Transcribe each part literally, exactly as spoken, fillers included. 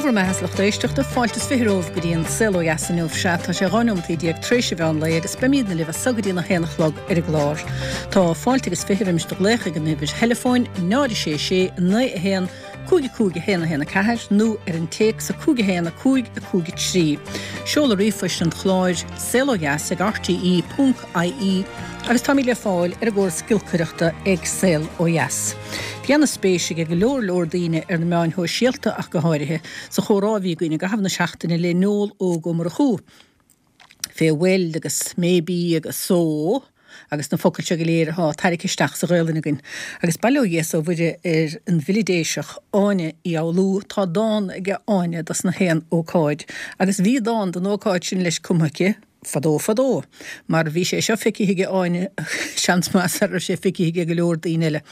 Dé bhur mbeatha, a lucht éisteachta, fáilte is fiche romhaibh go dtí an Saol Ó Dheas inniu. Sea, tá sé dhá nóimeataí déag tar éis an mheán lae agus beimídne libh as so go dtí a haon a chlog ar an gclár. Tá fáilte agus fiche roimis do ghlaoch ag an uimhir theileafóin náid sé sé naoi a haon cúig cúig a haon a haon a ceathair nó ar an téacs a cúig a haon a cúig a cúig a trí. Seoladh ríomhphoist an chláir saol ó dheas ag R T E ponc I E agus táimid le fáil ar an gcóras giolcaireachta ag Saol Ó Dheas. Bhí an-spéis ag go leor leor daoine ar na meáin shóisialta ach go háirithe sa chomhrá a bhí againn i gcaitheamh na seachtaine le Noel Óg Ó Murchú. Fé well agus maybe agus so agus na focail seo go léir atá tarraingthe isteach sa Ghaelainn againn. Agus bail ó Dhia is ó Mhuire ar an bhfile Déiseach Áine Uí Fhoghlú, tá dán aige Áine dos na haon ócáid, agus bhí dán don ócáid sin leis cumtha aici fadó fadó, mar bhí sé seo feicthe aige Áine seans maith sara raibh sé feicthe aige go leor daoine eile.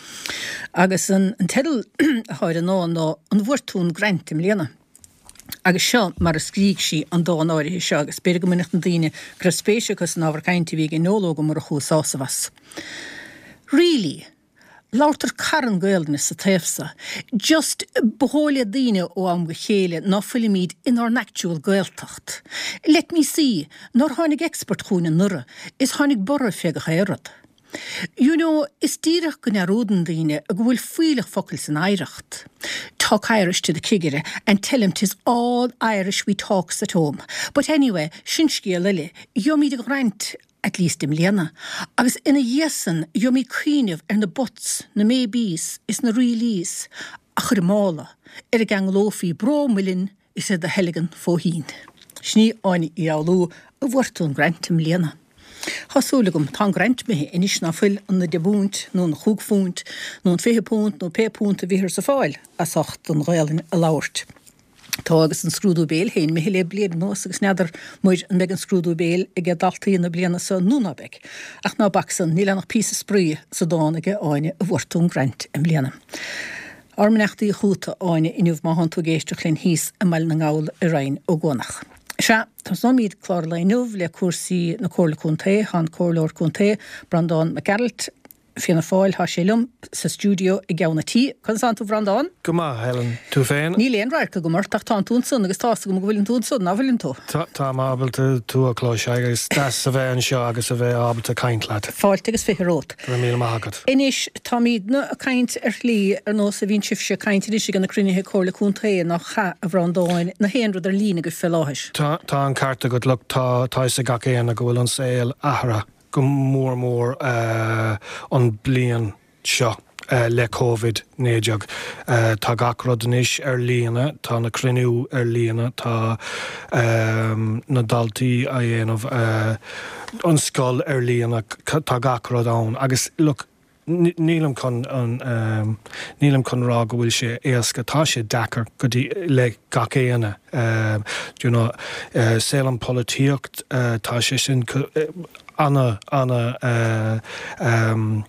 Agus an, an teideal atá ar an ndán ná "An bhfuair tú an grant i mbliana?" Agus seo mar a scrígh sí an dán áirithe seo agus b'fhéidir go mbainfeadh na daoine go raibh spéis acu san ábhar cainte a bhí ag Noel Óg Ó Murchú sásamh as. Really, labhartar carn Gaelainne sa taobh so. Just ba dhóigh le daoine ó am go chéile ná fuilimid inár n-actual Gaeltacht. Let me see, nár tháinig expert chugainn anuraidh, is tháinig borradh fé gach aon rud. You know, is díreach go ndearúdann daoine go bhfuil fuílleach focal san oidhreacht. Talk Irish to the cigire and tell him 'tis all Irish we talks at home. But anyway, sin scéal eile, gheobhaimid an grant at least i mbliana, agus ina dhiaidh san gheobhaimid cuimhneamh ar na buts, na maybes is na reallys a chur i mála ar a gceanglófaí bró muilinn is ar do theilgean fóithín. Sin í Áine Uí Fhoghlú, "An bhfuair tú an grant i mbliana?" Tá súil agam, tá an grant imithe anois, ná fuil an deich bpunt nó an chúig phunt nó an fiche punt nó pé punt a bhíothar ag fáil as ucht an Ghaelainn a labhairt. Tá agus an scrúdú béil féin imithe le bliain anuas agus n'fheadar muid an mbeidh an scrúdú béil ag daltaí na bliana seo nó ná beidh. Ach ná bac san, níl ann ach píosa spraoi sa dán aige Áine, "An bhfuair tú an grant i mbliana?" Ár mbeannachtaí chugat, Áine, inniu má thánn tú ag éisteacht linn thíos i mBaile na nGall i Rinn Ó gCuanach. Sea, tosóimid clár lae inniu le cúrsaí na Comhairle Contae. Tá an Comhairleoir Contae Breandán Mac Gearailt Fianna Fáil, tá sé liom sa stiúideo i gceann an tí. Conas tánn tú, Breandán? Go maith, Helen, tú féin? Níl aon radharc agam ort ach tánn tú ansan agus tá's agam go bhfuileann tú ansan, ná bhfuileann tú? Tá ábalta tú a chloisteáil agus deas a bheith anseo agus a bheith ábalta caint leat. Fáilte agus fiche romhat. Go raibh míle maith agat. Anois táimidne ag caint ar shlí ar nós a bhíonn sibhse ag caint anois ag na cruinnithe Comhairle Contae, nach ea, a Bhreandáin, na haon rud ar líne go fé láthair. Tá tá an ceart agat. Look, tá tá a fhios ag gach éinne go bhfuil an saol athraithe go mór mór uh, an bliain seo uh, le Covid naoi déag. Uh, tá gach rud anois ar líne, tá na cruinnithe ar líne, tá um, na daltaí a dhéanamh uh, an scoil ar líne, tá gach rud ann. Agus look, nílim chun an um, nílim chun rá go bhfuil sé éasca, tá sé deacair go dtí le gach éinne. Um, you know, uh, saol an polaitíocht, uh, tá sé sin uh, ana ana uh, um,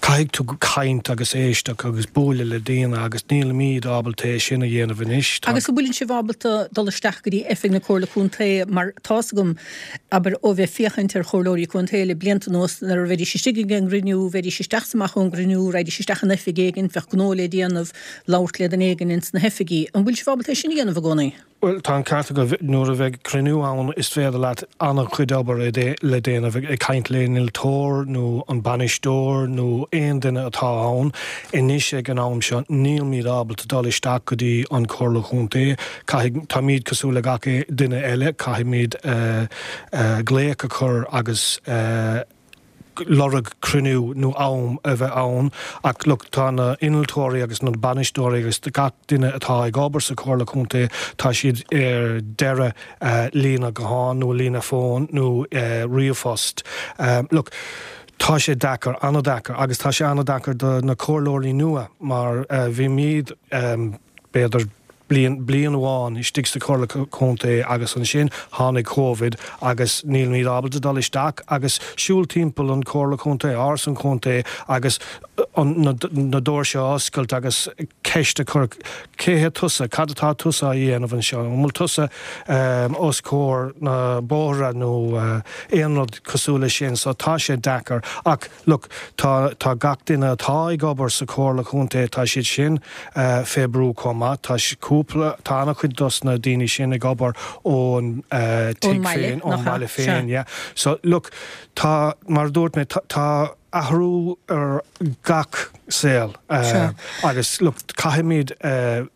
caithfidh tú caint agus éisteacht agus bualadh le daoine agus nílimid ábalta é sin a dhéanamh anois. Agus go bhfuileann sibh ábalta dul isteach go dtí oifig na Comhairle Contae, mar tá's agam, abair, ó bheith féachaint ar chomhairleoirí contae le blianta anuas, nuair a bheidís istigh ag an gcruinniú, bheidís isteach is amach ón gcruinniú, raghaidís isteach in oifig éigin, bheadh gnó le déanamh, labhairt le duine éigin ins na hoifigí. An bhfuil sibh ábalta é sin a dhéanamh i gcónaí? Well, tá an ceart go nuair a bheidh cruinniú ann is féidir leat an-chuid obair le déanamh ag caint le innealtóir nó an bainisteoir nó aon duine atá ann. Anois ag an am seo nílimid ábalta dul isteach go dtí an Chomhairle Chontae. Táimid cosúil le gach duine eile, caithfimid uh, uh, glaoch a chur agus uh, lorg cruinniú nó am a bheith ann, ach look, tá na innealtóirí agus na bainisteoirí agus gach duine atá ag obair sa Chomhairle Contae, tá siad ar deireadh uh, líne gutháin nó líne fón nó uh, ríomhphost. Um, look, tá sé deacair, an-deacair, agus tá sé an-deacair do na comhairleoirí nua mar uh, bhí muid um, b'fhéidir bliain bliain amháin istigh sa Chomhairle Contae agus ansin tháinig Covid agus nílimid ábalta dul isteach agus siúl timpeall an Chomhairle Contae, áras an chontae, agus na doirse a oscailt agus ceist a chur cé hé tusa, cad atá tusa a dhéanamh anseo, an bhfuil tusa os comhair na bóithre nó aon rud cosúil leis sin, so tá sé deacair. Ach look, tá tá gach duine atá ag obair sa Chomhairle Contae, tá siad sin fé brú chomh maith, tá cúpla, tá an-chuid dos na daoine sin ag obair ón tigh féin, ón mbaile féin, yeah. So look, tá, mar a dúirt mé, tá athrú ar gach saol agus look, caithfimid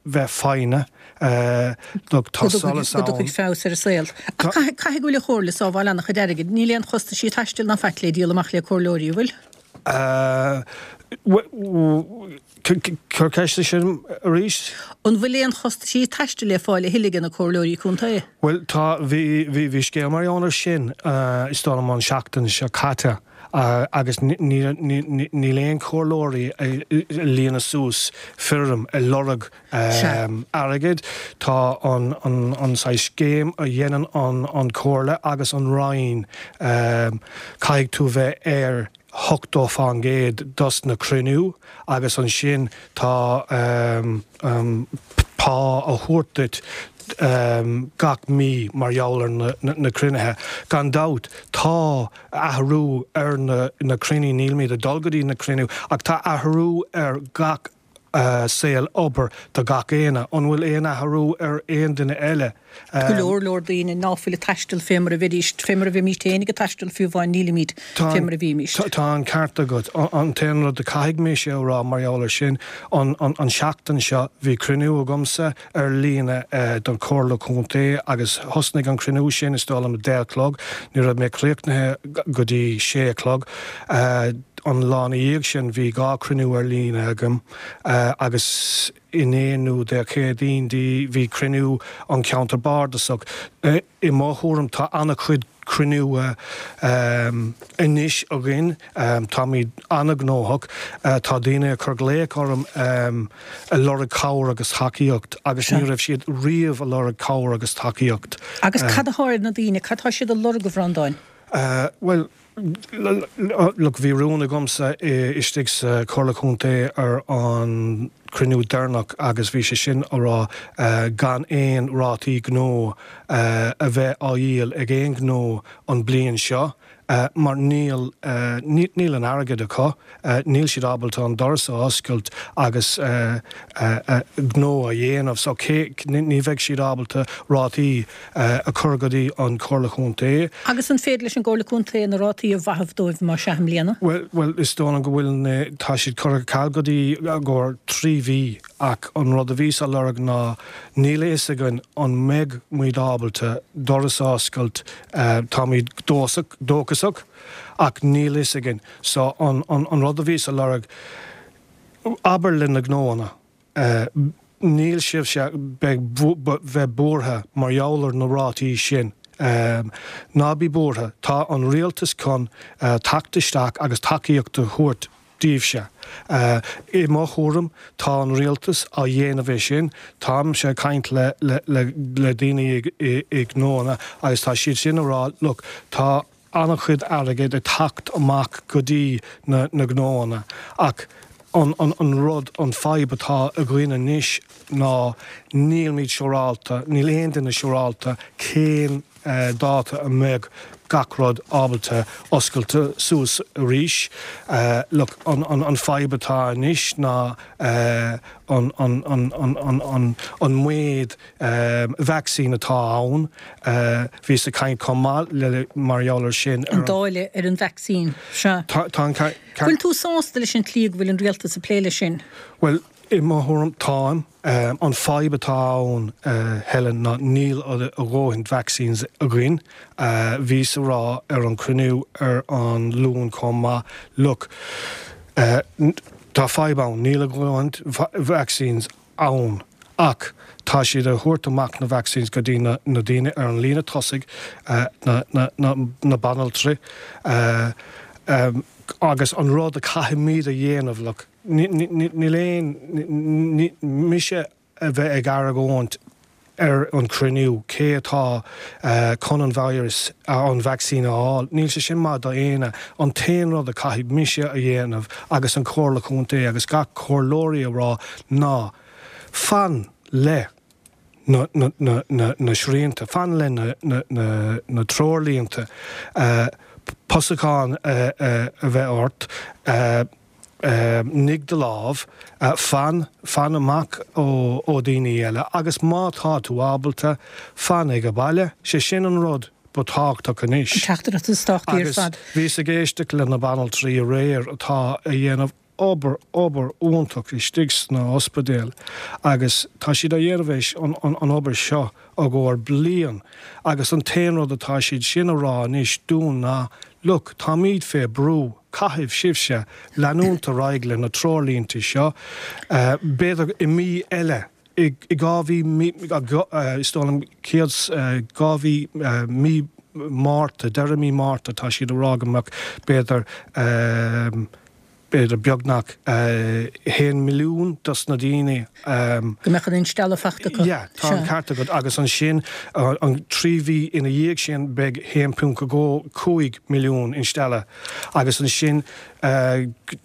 bheith foighneach, look, tá solas ann. Go dtiocfaidh feabhas ar an saol. Ach caithfidh go bhfuil an Chomhairle ag sábháil an-chuid airgid. Níl aon chostaisí taistil ná faic le díol amach le comhairleoirí, an bhfuil? Cuir ceist sin arís. An bhfuil aon chostaisí taistil le fáil a thuilleadh ag na comhairleoirí contae? Bhuel, tá, bhí, bhí, bhí scéal mar gheall air sin is dóigh liom an seachtain seo caite agus níl aon chomhairleoirí ag líonadh suas foirm ag lorg airgid. Tá an, an, an saghas scéim a dhéanann an, an Chomhairle agus an Roinn, caithfidh tú bheith ar ochtó fán gcéad dos na cruinniú agus ansin tá pá á thabhairt duit gach mí mar gheall ar na cruinnithe. Gan dabht tá athrú ar na cruinní, nílimid ag dul go dtí na cruinniú ach tá athrú ar gach saol obair do gach éinne. An bhfuil aon athrú ar aon duine eile? Go leor leor daoine ná fuil ag taisteal fé mar a bheidís, fé mar a bhímís féin ag taisteal fiú amháin nílimid fé mar a bhímís. Tá an ceart agat. An t-aon rud a caithfidh mise a rá mar gheall air sin, an seachtain seo bhí cruinniú agamsa ar líne don Chomhairle Contae agus thosnaigh an cruinniú sin is dóigh liom a deich a chlog, ní raibh mé críochnaithe go dtí sé a chlog. An lá ina dhiaidh sin bhí dhá chruinniú ar líne agam agus inné nó Dé Céadaoin bhí cruinniú an Cheantar Bardasach. I mo thuairim tá an-chuid cruinniú anois againn, táimid an-ghnóthach, tá daoine ag cur glaoch orm ag lorg cabhair agus tacaíocht agus ní raibh siad riamh ag lorg cabhair agus tacaíocht. Agus cad atá ar na daoine, cad tá siad a lorg, a Bhreandáin? Bhuel, look, bhí rún agamsa istigh sa Chomhairle Contae ar an cruinniú deireanach agus bhí sé sin a rá gan aon rátaí gnó a bheith á dhíol ag aon ghnó an bliain seo mar níl níl an airgead acu, níl siad ábalta an doras a oscailt agus gnó a dhéanamh so cé ní bheidh siad ábalta rátaí a chur go dtí an Chomhairle Chontae. Agus an féidir leis an gComhairle Contae na rátaí a mhaitheamh dóibh má sea i mbliana? Bhuel, bhuel, is dóigh liom go bhfuil na, tá siad curtha ar ceal go dtí i gcomhair trí mhí ach an rud a bhíos á lorg ná níl a fhios againn an mbeidh muid ábalta doras a oscailt, táimid dósach, dóchasach ach níl a fhios againn. So an, an, an rud a bhíos á lorg, abair le na gnóanna, níl sibhse beidh bheith buartha mar gheall ar na rátaí sin. Ná bí buartha, tá an rialtas chun teacht isteach agus tacaíocht a thabhairt daoibhse. I mo thuairim, tá an rialtas á dhéanamh é sin. Táimse ag caint le le le daoine i i gnóanna agus tá siad sin a rá, look, tá an-chuid airgid ag teacht amach go dtí na na gnóanna ach an an an rud, an fadhb atá againn anois ná nílimid siúrálta, níl aon duine siúrálta cén dáta a mbeidh gach rud ábalta oscailt suas arís. Look, an an an fadhb atá anois ná an an an an an an an méid vacsaín atá ann. Bhíos ag caint chomh maith le mar gheall air sin ar an. An dáileadh ar an vacsaín, sea. Tá tá an ceart. Bhfuil tú sásta leis an tslí go bhfuil an rialtas ag plé leis sin? Bhuel, i mo thuairim, táim. An fadhb atá ann, Helen, ná níl a dhóthain vaccines againn. Bhíos a rá ar an cruinniú ar an Luan chomh maith, look, tá fadhb ann, níl a dhóthain vaccines ann ach tá siad a thabhairt amach na vaccines go dtí na daoine ar an líne tosaigh, na, na, na, na banaltraí, agus an rud a caithfimid a dhéanamh, look, Níl aon, mise a bheith ag argóint ar an cruinniú cé atá chun an virus an vaccine a fháil. Níl sé sin maith do éinne an t-aon rud a caithfidh mise a dhéanamh agus an Comhairle Contae agus gach comhairleoirí a rá ná fan le na, na, na, na, na srianta, fan le na, na, na, na treoirlínte uh, posachán uh, uh, a bheith ort, uh, uh, nigh do lámh, uh, fan fan amach ó, ó daoine eile, agus má tá tú ábalta fan ag an baile, sé sin an rud ba tábhachtach anois. Teachtaireacht is tábhachtaí ar Agus fad. bhíos ag éisteacht le na banaltraí aréir atá a dhéanamh obair obair iontach istigh sna ospidéil agus tá siad a dhéanamh an, an, an obair seo a gcóir bliain agus an t-aon rud atá siad sin a rá anois dúinn ná look táimid fé brú caithfidh sibhse leanúint ar aghaidh le na treoirlínte seo uh, b'fhéidir i mí eile i dhá mhí is dóigh liom céad dhá mhí mí Márta deireadh mí Márta tá siad a rá go mbeadh b'fhéidir b'fhéidir beagnach haon milliún dos na daoine. Go mbeadh an instealladh faighte acu. Ja, tá an ceart agat agus ansin an trí mhí ina dhiaidh sin beidh haon ponc cúig milliún instealladh agus ansin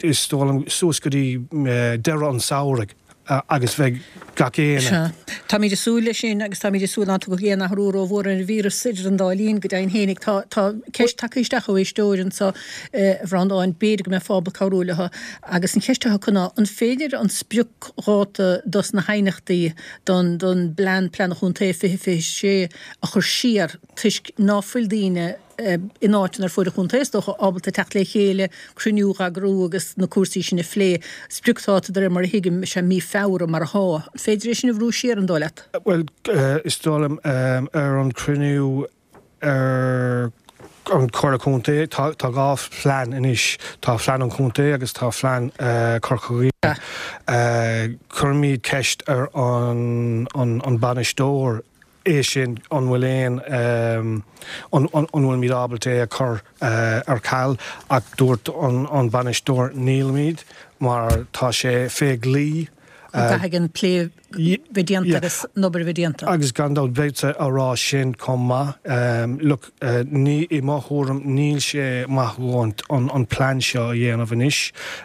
is dóigh liom suas go dtí deireadh an samhraidh agus bheidh gach éinne. Táimid ag súil leis sin agus táimid ag súil nach dtiocfaidh aon athrú rómhór ar an víreas idir an dá linn go deimhin féinig tá tá ceist tagtha isteach ó éisteoir anseo a Bhreandáin b'fhéidir go mbeifeá ábalta cabhrú leo agus an cheist atá acu ná an féidir an spriocdháta dos na haighneachtaí don don bplean plean chontae fiche fiche sé a chur siar toisc ná fuil daoine in áiteanna ar fud an chontae is dócha ábalta teacht le chéile, cruinniú a eagrú agus na cúrsaí sin a phlé. Spriocdháta de réir mar a thuigim is ea mí Feabhra mar atá. An féidir é sin a bhrú siar an dóigh leat? Well is dóigh liom ar an cruinniú ar an Comhairle Contae tá tá dhá phlean anois tá phlean an chontae agus tá phlean uh, Corca Dhuibhne. Uh, Cuirimid ceist ar an, an, an bainisteoir é sin an bhfuil aon um, an, an, an bhfuil muid ábalta é a chur uh, ar ceal ach dúirt an, an bainisteoir nílimid mar tá sé fé dhlí. Caithfidh an plé bheith déanta agus an obair bheith déanta. Agus gan dabht bheadh a rá sin chomh maith. Um, look, uh, ní i mo thuairim níl sé maith an, an plean seo a dhéanamh anois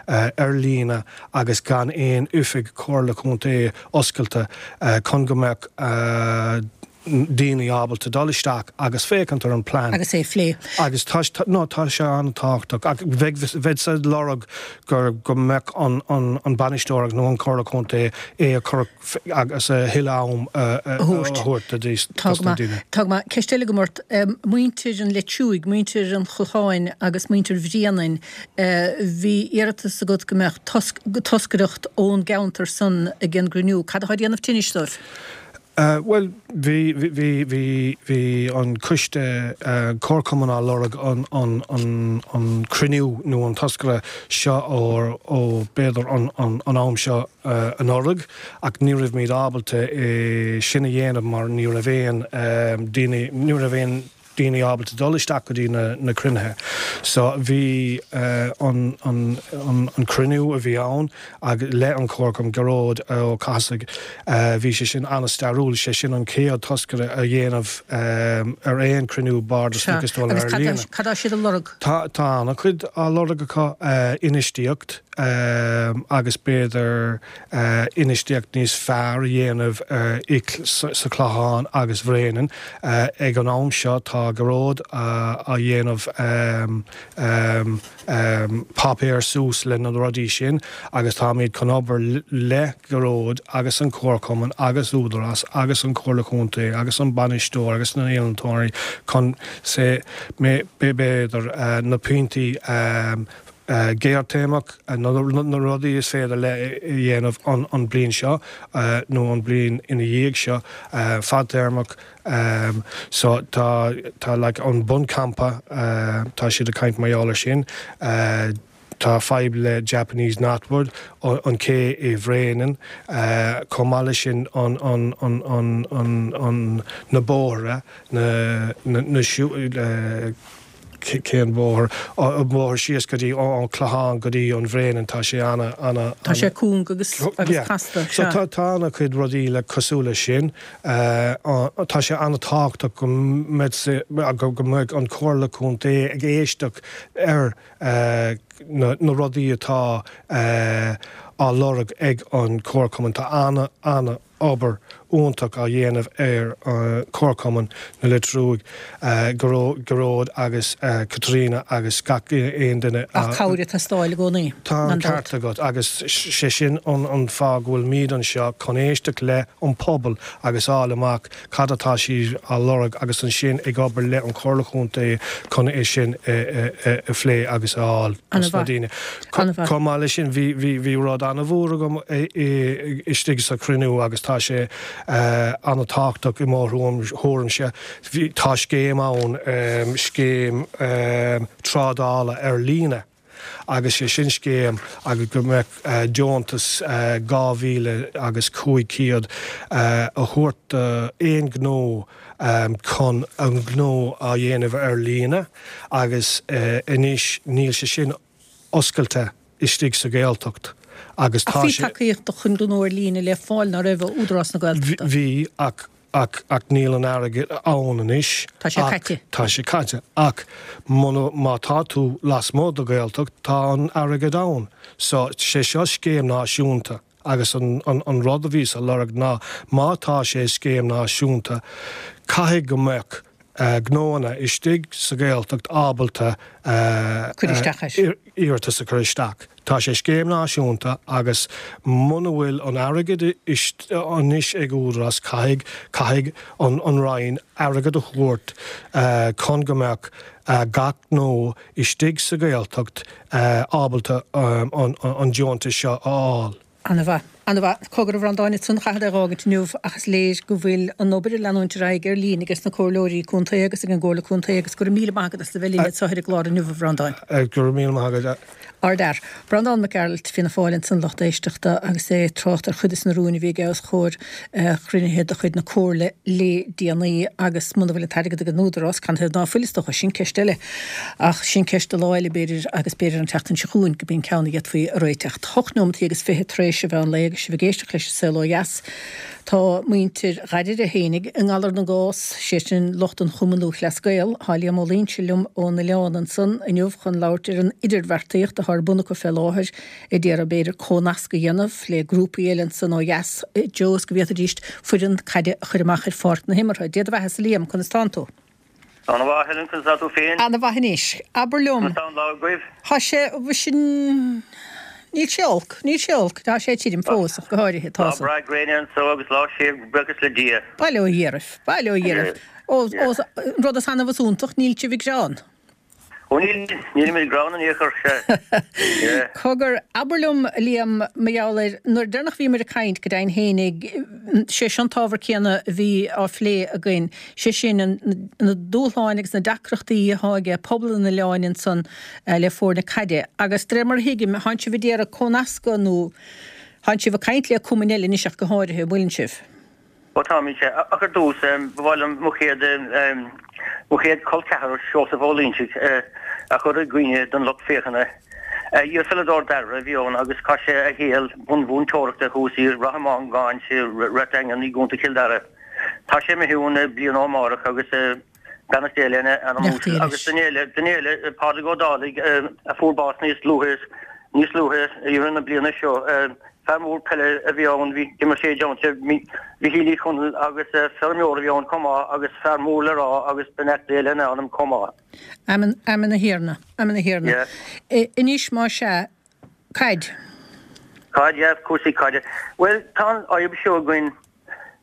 uh, ar líne agus gan aon oifig Comhairle Contae oscailte uh, chun go mbeadh uh, daoine ábalta dul isteach agus féachaint ar an plean. Agus é phlé. Agus tá no, tá sé an-tábhachtach ach bheadh sa lorg gur go mbeadh an, an, an bainisteoir nó an Comhairle Contae é a chur agus a thuilleadh am a thabhairt do daoine. Tá ma ceist eile agam ort muintir an Leitriúigh, muintir an Chlocháin agus muintir Bhréanainn bhí iarratas agat go mbeadh toscaireacht ón gceantar san ag an gcruinniú. Cad atá déanamh tinnis dóibh? Uh, well, bhí bhí bhí bhí an coiste uh, comharchumann á lorg an, an, an, an cruinniú nó an toscaire seo ó, ó b'fhéidir an, an, an am seo uh, anuraidh ach ní raibh muid ábalta é sin a dhéanamh mar ní raibh aon um, daoine ní raibh aon daoine ábalta dul isteach go dtí na, na cruinnithe. So bhí uh, an, an, an, an cruinniú a bhí ann ag le an comharchumann Gearóid Ó Cathasaigh uh, bhí sé sin an-stairiúil sé sin an chéad toscaire a dhéanamh um, ar aon cruinniú bardasach Agus cad tá siad a lorg? Tá tá an-chuid á lorg acu uh, infheistíocht um, agus b'fhéidir uh, infheistíocht níos fearr a dhéanamh uh, i sa, sa Chlochán agus Bhréanainn uh, ag an am seo tá Gearóid uh, á dhéanamh um, um, um, páipéar suas le na rudaí sin agus táimid chun obair le Gearóid agus an comharchumann agus Údarás agus an Comhairle Contae agus an bainisteoir agus na héantóirí chun sé b'fhéidir uh, na pointí um, uh, géarchéimeach uh, na, na rudaí is féidir le dhéanamh an, an bliain seo uh, nó an bliain ina dhiaidh seo uh, fadtéarmach um, so tá tá like, an buncampa uh, tá siad ag caint mar gheall air sin uh, tá fadhb le Japanese Knotweed an cé i Bhréanainn uh, chomh maith leis sin an, an, an, an, an, an na bóithre na, na, na, uh, cén bóthar an bóthar síos go dtí an Clochán go dtí an Bhréanainn tá sé ana ana Tá sé cúng agus agus casta. So tá tá ana chuid rudaí le cosúil leis sin tá sé an-tábhachtach go mbeidh go mbeidh an Chomhairle Contae ag éisteacht ar na na rudaí atá á lorg ag an Comharchumann tá ana ana obair iontach á dhéanamh ar Comharchumann na Leitre Ruaidh Gearóid agus Caitríona agus gach aon duine. Ach cabhair ag teastáil i gcónaí. Tá an ceart agat agus sé sin an an fáth go bhfuil muid anseo chun éisteacht le an pobal agus fháil amach cad atá siad á lorg agus ansin ag obair le an Chomhairle Chontae chun é sin a phlé agus a fháil dos na daoine. Chomh maith leis sin bhí bhí bhí rud an-mhór agam istigh sa chruinniú agus tá sé an-tábhachtach i mo thuairimse. Tá scéim ann, scéim trádála ar líne agus sé sin scéim agus go mbeadh deontas dhá mhíle agus cúig chéad a thabhairt d'aon ghnó chun an gnó a dhéanamh ar líne agus anois níl sé sin oscailte istigh sa Ghaeltacht agus tá sé. Ach bhí tacaíocht chun gnó ar líne le fáil, ná raibh, ó Údarás na Gaeltachta? Bhí, ach ach ach níl an airgead ann anois. Tá sé caite. Tá sé caite. Ach muna, má tá tú lasmuigh de Ghaeltacht, tá an airgead ann. So, sé seo scéim náisiúnta agus an an an rud a bhíos a lorg ná má tá sé scéim náisiúnta, caithfidh go mbeadh gnóanna istigh sa Ghaeltacht ábalta Cur isteach air. iarratas a chur isteach. Tá sé scéim náisiúnta agus muna bhfuil an airgead anois ag Údarás caithfidh caithfidh an an Roinn airgead a thabhairt chun go mbeadh gach gnó istigh sa Ghaeltacht ábalta an an deontas seo a fháil. Ana-mhaith. Ana-mhaith. Cogar a Bhreandáin, ansan chaithfead é a dh'fhágaint inniu ach is léir go bhfuil an obair ag leanúint ar aghaidh ar líne ages na comhairleoirí contae agus ag an gComhairle Contae agus go raibh míle maith agat as a bheith linn anseo ar an gclár inniu a Bhreandáin. Go raibh míle maith agat. Ardfhear. Breandán Mac Gearailt, Fianna Fáil ansan lucht éisteachta agus é ag trácht ar chuid de na rúin a bhí aige os comhair chruinnithe de chuid na Comhairle le déanaí agus muna bhfuil an t-airgead ag an Údarás, canathaobh ná fuil is dócha, sin ceist eile. Ach sin ceist do lá eile b'fhéidir agus b'fhéidir an tseachtain seo chugainn go b'in ceann a d'fhéadfaí a réiteach. Hocht nóimeataí agus fiche tar éis an mheán lae agus sibh ag éisteacht leis an Saol Ó Dheas. Tá muintir Dháiríre fhéinig i ngalar na gcás, sé sin lucht an Chumann Lúthchleas Gael. Tá Liam Ó Loingsigh liom ón oileán ansan inniu chun labhairt ar an idirbheartaíocht atá ar bun acu fé láthair a d'iarraidh b'fhéidir comhnasc a dhéanamh le grúpaí eile ansan ó dheas i dtreo is go bhféadfaidís foireann caide a chur amach ar pháirc na himeartha. Dia do bheatha-sa Liam, conas tánn tú? Ana mhaith, Helen, conas tá tú féin? Ana mhaith anois. Abair liom. Conas tá an lá agaibh? Tá sé, sin, níl sé olc, níl sé olc, tá sé tirim fós ach go háirithe, tá Lá breá gréine anso agus lá séimh, buíochas le Dia. Bail ó Dhia oraibh, bail ó Dhia oraibh. Ó, ó, an rud is annamh is iontach, níl sibh ag gearán. Ó níl, nílimid ag gearán in aon chor, sea. Yeah. Cogar, abair liom, a Liam, mar gheall air, nuair deireanach a bhíomar ag caint, go deimhin fhéinig, sé seo an t-ábhar céanna a bhí á phlé againn, sé sin, an, na dúshláin agus na deacrachtaí athá aige pobal an oileáin ansan le foirne caide. Agus de réir mar a thuigim, thánn sibh ag iarraidh comhnascadh nó thánn sibh ag caint le cumainn eile anois ach go háirithe, an bhfuileann sibh? Ó táimid, sea. Ach ar dtús, ba mhaith liom mo chéad, mo chéad chol ceathrar, Seosamh Ó Loingsigh, a chur i gcuimhne don lucht féachana. Iarpheileadóir Dairbhre a bhí ann agus chaith sé a shaol bunmhúinteoireachta thuas i Ráth Mhongáin sa Rath Daingean i gContae Chill Dara. Tá sé imithe uainn bliain ó amárach agus beannacht Dé lena anam uasal. Agus duine eile, duine eile, Pádraig Ó Dálaigh, a fuair bás níos luaithe, níos luaithe i rith na bliana seo. Fear mór peile a bhí ann, bhí, d'imir sé i dteannta Mhichíl Uí Chonaill agus feirmeoir a bhí ann chomh maith agus fear mór le rá agus beannacht Dé lena anam chomh maith. Amen, amen a Thiarna, amen a Thiarna. Yeah. Anois más ea, caid. Caid, yeah, cúrsaí caide. Bhuel, tá an fhadhb seo againn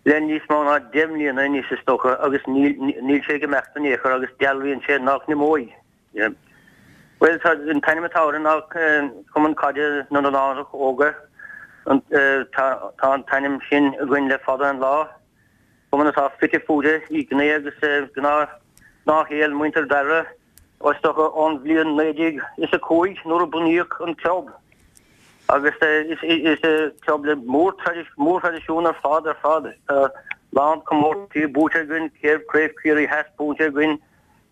le níos mó ná deich mbliana anois is dócha agus níl, níl sé ag imeacht in aon chor agus dealraíonn sé nach n-imeoidh. Bhuel, tá an t-ainm atá orainn ná Cumann Caide na nOileánach Óga. Tá an t-ainm sin againn le fada an lá. Cumann atá fite fuaite i ngné agus gnáthshaol muintir Dairbhre, is dócha ón bhliain naoi déag is a cúig nuair a bunaíodh an club. Agus is club le mórthraidisiún ar fad ar fad. Tá lán comórtaisí buaite againn, Craobh Chiarraí Theas buaite againn,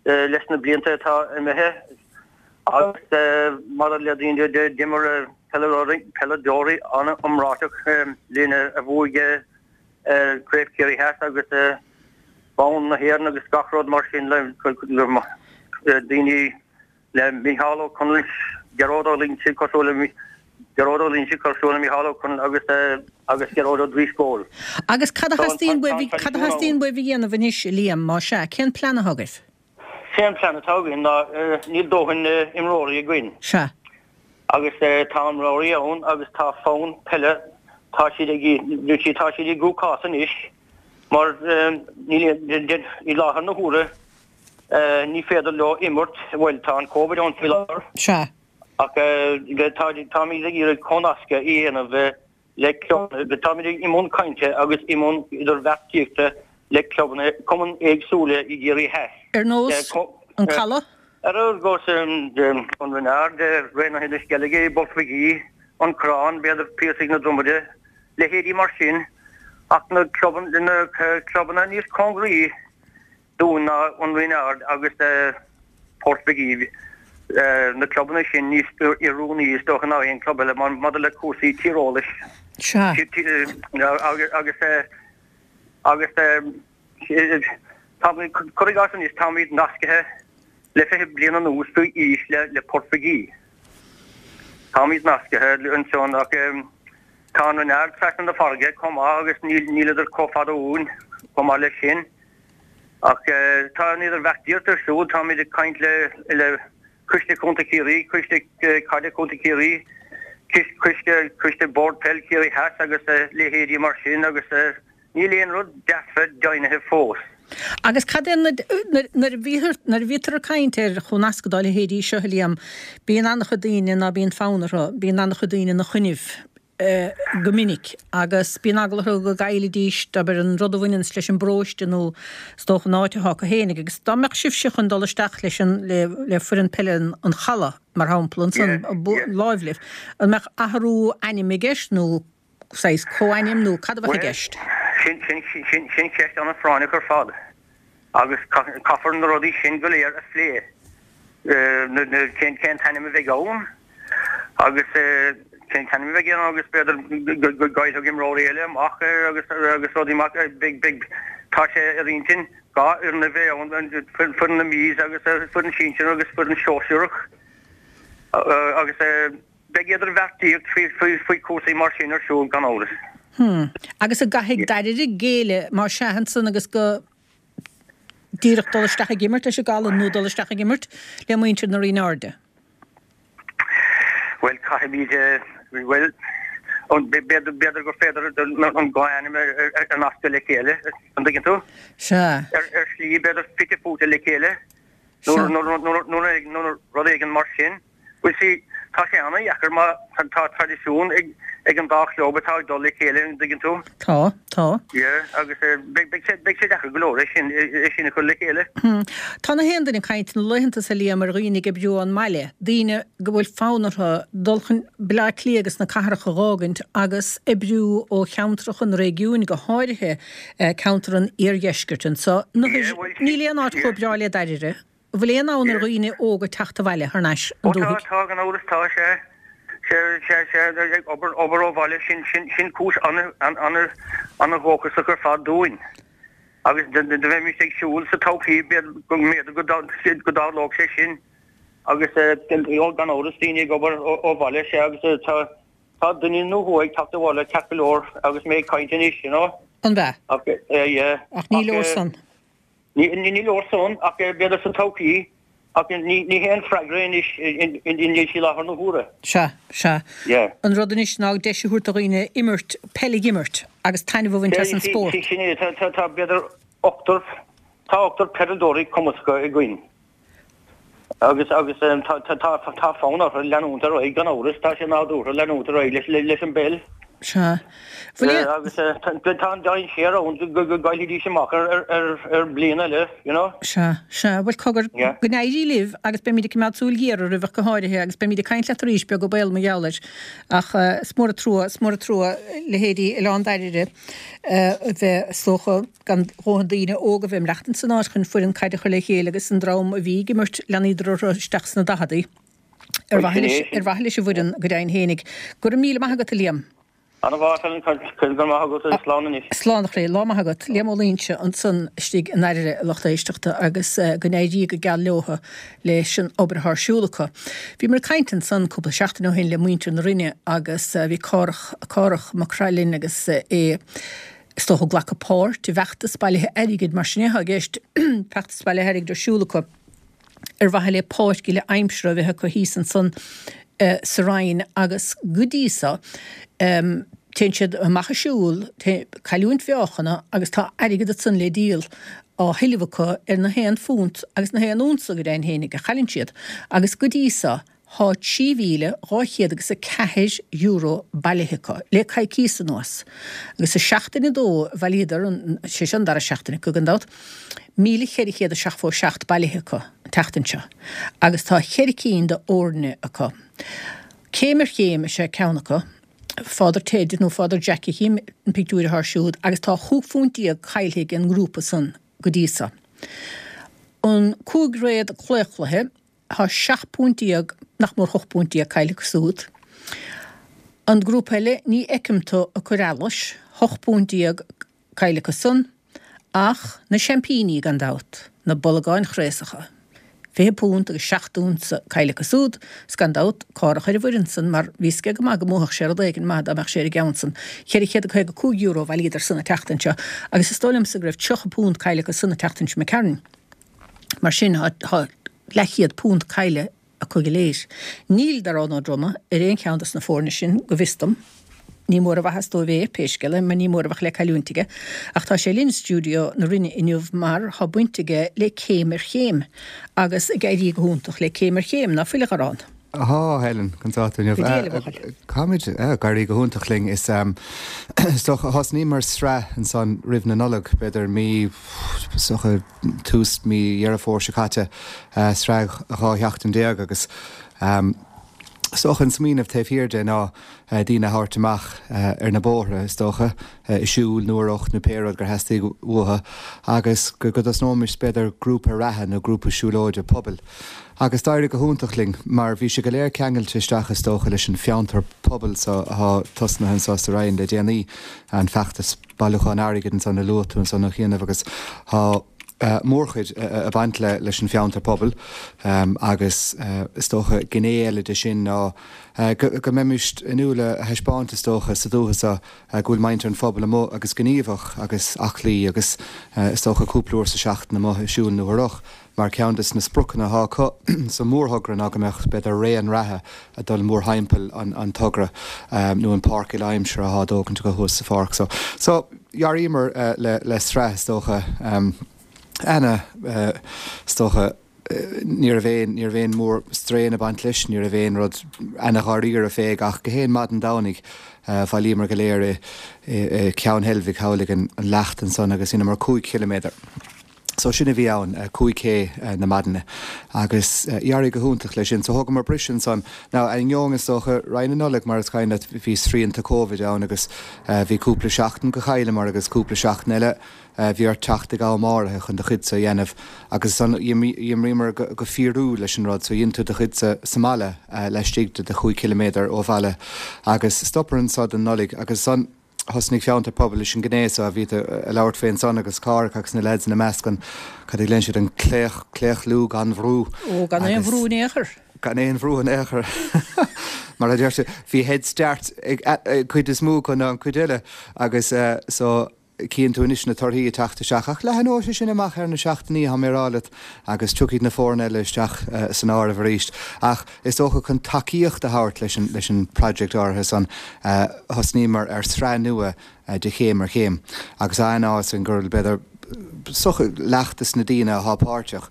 leis na blianta atá imithe agus mar le daoine d'imir peileadóirí an-iomráiteach linn a bhuaigh Craobh Chiarraí Theas agus bonn na hÉireann agus gach rud mar sin le daoine le Micheál Ó Conaill, Gearóid Ó Loingsigh cosúil le Gearóid Ó Loingsigh cosúil le Micheál Ó Conaill agus agus Gearóid Ó Drisceoil. Agus cad a theastaíonn uaibh cad a theastaíonn uaibh a dhéanamh anois, Liam, más ea? Cén plean atá agaibh? Sé an plean atá againn ná níl dóthain imreoirí againn. Sea. Agus tá imreoirí ann agus tá fonn peile, tá siad ag, tá siad i gcruachás anois mar níl, i láthair na huaire ní féidir leo imirt, bhuel tá an Covid ann faoi láthair. Sea. Ach tá, táimid ag iarraidh comhnascadh a dhéanamh le clubanna, táimid i mbun cainte agus i mbun idirbheartaíochta le clubanna, cumainn éagsúla i gCiarraí Theas. Ar nós An Caladh? Ar nós An Rinn Ard, Raonaithe na Sceilge, Port Mhig Aoidh, An Corrán, b'fhéidir Piarsaigh na Dromaide, leithéidí mar sin, ach na clubanna níos cóngaraí dúinn ná An Rinn Ard agus Port Mhig Aoidh, na clubanna sin níos oiriúnaí is dócha ná aon club eile maidir le cúrsaí tíreolais. Sea. Agus agus táimid, cuir i gcás anois, táimid nascaithe le fiche bliain anuas faoi aois le le Port Mhig Aoidh. Táimid nascaithe ansan ach tá an Rinn Ard trasna na farraige chomh maith agus níl níleadar chomh fada uainn chomh maith leis sin. Ach tá an idirbheartaíocht ar siúl, táimid ag caint le le Coiste Contae Chiarraí, Coiste Caide Contae Chiarraí, Coiste Coiste Bord Peil Chiarraí Theas agus leithéidí mar sin agus níl aon rud dearfa deimhnithe fós. Agus cad é nuair a bhíthear nuair a bhítear ag caint ar chomhnascadh dá leithéidí seo, a Liam, bíonn an-chuid daoine ná bíonn fonn orthu, bíonn an-chuid daoine ina choinnibh go minic agus bíonn eagla orthu go gcaillfidís, abair, an rud a bhaineanns leis an bparóiste nó is dócha an áit atá acu fhéinig. Agus dá mbeadh sibhse chun dul isteach leis an le le foireann peile an Chalaidh, mar shampla, ansan láimh libh, an mbeadh athrú ainm i gceist nó saghas comhainm nó cad a bheadh i gceist? Sin, sin, sin, sin ceist an-phráinneach ar fad agus caithfear na rudaí sin go léir a phlé, na, na, cén, cén t-ainm a bheidh ann agus cén t-ainm a bheidh ann agus b'fhéidir go gcaillfeadh imreoirí eile amach agus, agus rudaí mar, beidh, beidh, tá sé ar intinn dhá fhoireann a bheith ann, foireann na Mí agus foireann sinsir agus foireann sóisearach agus. Beidh idirbheartaíocht faoi chúrsaí mar sin ar siúl, gan amhras. Hmm. Agus an gcaithfidh Dairire géilleadh, más ea, ansan agus go díreach dul isteach ag imirt leis an gCaladh nó dul isteach ag imirt le muintir na Rinne Airde? Bhuel, caithfimid, bhuel, b'fhéidir gur féidir an dhá ainm a nascadh le chéile, an dtuigeann tú? Sea. Ar shlí, b'fhéidir fite fuaite le chéile, nó rud éigin mar sin. Bhuel see, tá sé ana-dheacair mar tá traidisiún ag ag an dá chlub atá ag dul le chéile, an dtuigeann tú? Tá, tá. Yeah, agus beidh beidh sé beidh sé deacair go leor é sin é sin a chur le chéile. Hmm. Tá na haon duine ag caint na laethanta seo Liam ar dhaoine ag oibriú ón mbaile, daoine go bhfuil fonn orthu dul chun Baile Átha Cliath agus na cathracha a dh'fhágaint agus oibriú ó cheantracha na réigiúin, go háirithe ceantar an iardheiscirt anso. Yeah, bhuel, Níl aon áit yeah. chomh breá le Dairire. An bhfuil aon fhonn ar dhaoine óga teacht abhaile thar n-ais an Ó tá, dúthaigh? tá, gan amhras, tá, sea, sea, sea, sea, ag obair, obair ó bhaile, sin, sin, sin cúis an-an-an-dhóchasach ar fad dúinn. Agus dá mbeimis ag siúl sa todhchaí, b'fhéidir go mb'fhéidir go go dtarlódh sé sin. Agus gan amhras, daoine ag obair ó bhaile, sea, agus tá, tá duine nó dhó ag teacht abhaile ceart go leor agus mé ag caint anois, you know. An ea? Ach, yeah. Ach ní leor san. Ní leor san, ach b'fhéidir sa todhchaí, ach ní hé an freagra anois i láthair na huaire. Sea, sea. Yeah. An rud anois ná deis a thabhairt do dhaoine imirt, peil a imirt agus taitneamh a bhaint as an spórt. Sin é, tá b'fhéidir ochtar, tá ochtar peileadóirí cumasacha againn agus agus tá tá fonn orthu leanúint ar aghaidh gan amhras, tá sé nádúrtha leanúint ar aghaidh leis an bpeil. Sea. Bhuel Yeah, agus tá an dainséar ann go go gcaillfidís amach ar ar ar ar bliain eile, you know. Sea, sea. Bhuel cogar, Yeah. go n-éirí libh agus beimid ag coimeád súil ghéar oraibh ach go háirithe agus beimid ag caint leat arís beag ó bhéal mar gheall air. Ach is mór an trua, is mór an trua leithéidí Oileán Dairbhre a bheith is dócha gan dhóthain daoine óga a bheith ag maireachtaint san áit chun foireann caide a chur le chéile agus an dream a bhí ag imirt leanaíodar orthu isteach sna daicheadaí ar mhaithe leis ar mhaithe leis an bhfoireann go deimhin fhéinig. Go raibh míle maith agat a Liam. Ana mhaith Helen, go raibh maith agat agus slán anois. Slán a chroí, lá maith agat. Liam Ó Loingsigh ansan istigh i nDairbhre a lucht éisteachta agus go n-éirí go geal leotha leis an obair atá ar siúl acu. Bhíomar ag caint ansan cúpla seachtain ó shin le muintir na Rinne agus bhí Cárthach Cárthach Mac Craith agus é is dócha ag glacadh páirt i bhfeachtas bailithe airgid mar sin é atá i gceist feachtas bailithe airgid ar siúl acu ar mhaithe le páirc uile aimsire a bheith acu thíos ansan sa Rinn agus go dtí so téann siad amach ag siúl, cailliúint mheáchana agus tá airgead ansan le díol á thuilleamh acu ar na haon phunt agus na haon unsa go deimhin fhéinig a chailleann siad agus go dtí so thá trí mhíle dhá chéad agus a ceathair euro bailithe acu le coicíos anuas agus i seachtain a dó a bhailíodar an, sé seo an dara seachtain acu gan dabht, míle cheithre chéad is seachtó seacht bailithe acu an tseachtain seo agus tá ceithre cinn de fhoirne acu. Céim ar chéim is ea ceann acu, Father Ted nó Father Jackie chím an pictiúr atá siúd agus tá chúig phunt déag caillthe ag an ngrúpa san go dtí so. An cúigréad claochlaithe, tá seacht bpunt déag, nach mór hocht bpunt déag caillte acu siúd. An grúpa eile, ní fheicim tú ag cur allais, hocht bpunt déag caillte acu san, ach na seaimpíní gan dabht, na bolgáin chraosacha. Fiche punt agus seacht unsa caillte acu siúd, 's gan dabht, Cárthach ar an bhfoireann san, mar bhí 's aige go maith go mbuafadh sé rud éigin maith dá mbeadh sé ar an gceann san. Ceithre chéad a caoga cúig euro a bhailíodar san an tseachtain seo, agus is dóigh liomsa go raibh tríocha punt caillte acu san an tseachtain seo imigh tharainn. Mar sin, tá leathchéad punt caillte acu go léir. Níl Darán Ó Droma ar aon cheann dos na foirne sin, go bhfios dom. Ní mór a mhaitheas dóibh é, pé scéal é, mar ní mór a bheadh le cailliúint aige. Ach tá sé linn i stiúideo na Rinne inniu mar tá baint aige le Céim ar Chéim agus ag éirí go hiontach le Céim ar Chéim, ná fuil a Dharán? Ahá, Helen, conas tá tú inniu? Go diail, a bhuachaill. Táimid ag éirí go hiontach linn. Is is dócha thosnaíomar sraith ansan roimh na Nollag, b'fhéidir mí, is dócha tús mí Dheireadh Fómhair seo caite, sraith dhá sheachtain déag agus is dócha an smaoineamh taobh thiar de ná daoine a thabhairt amach ar na bóithre, is dócha, ag siúl nó ar rothar nó pé rud gur theastaigh uathu agus go dtosnóimis b'fhéidir grúpa reatha nó grúpa siúlóide pobail. Agus d'éirigh go hiontach linn mar bhí sé go léir ceangailte isteach is dócha leis an fiontar pobail so atá tosnaithe anso sa Rinn le déanaí, an feachtas bailiúcháin airgid ansan a luaigh tú ansan a chianaibh agus tá mórchuid ag baint le leis an bhfiontar pobail agus is dócha gné eile de sin ná go mbeimis inniúil a thaispeáint is dócha sa dúiche seo go bhfuil muintir an phobail amuigh agus gníomhach agus aclaí agus is dócha cúpla uair sa seachtain amuigh ag siúl nó ar rothar mar ceann de na spriocanna atá acu sa mhórthogra ná go mbeadh b'fhéidir ré an reatha ag dul mórthimpeall an togra nó an páirc uile-aimsire atá á dtógaint acu thuas sa pháirc. So so dhearaíomar le le sraith is dócha ana is dócha ní raibh aon ní raibh aon mór strain ag baint leis, ní raibh aon rud ana dháiríre fé ach gach aon maidin Domhnaigh bhailíomar go léir i i Ceann Heilbhic thall ag an leacht ansan agus dheineamar cúig chiliméadar. So sin a bhí ann, cúig K na maidine agus d'éirigh go hiontach leis sin. So thógamar briseadh ansan. Now ainneoin is dócha roimh na Nollag mar is cuimhin leat bhí srianta Covid ann agus bhí cúpla seachtain go chailleamar agus cúpla seachtain eile bhí ort teacht ag am áirithe chun do chuidse a dhéanamh agus ansan d'imríomar go fíorúil leis an rud so dhein tú do chuidse sa mbaile laistigh de do chúig chiliméadar ó bhaile agus stopamar anso don Nollaig agus ansan thosnaigh Fiontar Pobail leis an ghné so a bhí tú ag labhairt fé ansan agus Cárthach agus na leaids ina measc an cad a ghlaonn siad an claoch claochlú gan bhrú Ó gan aon agus bhrú in aon chor. Gan aon bhrú in aon chor. Mar a deir tú bhí head start ag ag cuid is mó acu ná an cuid eile agus so cíonn tú anois na torthaí ag teacht isteach ach leathnóidh sé sin amach ar na seachtainí tá mé ag rá leat agus tiocfaidh na foirne eile isteach san áireamh arís. Ach is dócha chun tacaíocht a thabhairt leis an leis an project áirithe san thosnaíomar ar sraith nua de Chéim ar Chéim agus aithneofá ansan gur b'fhéidir socha leath des na daoine atá páirteach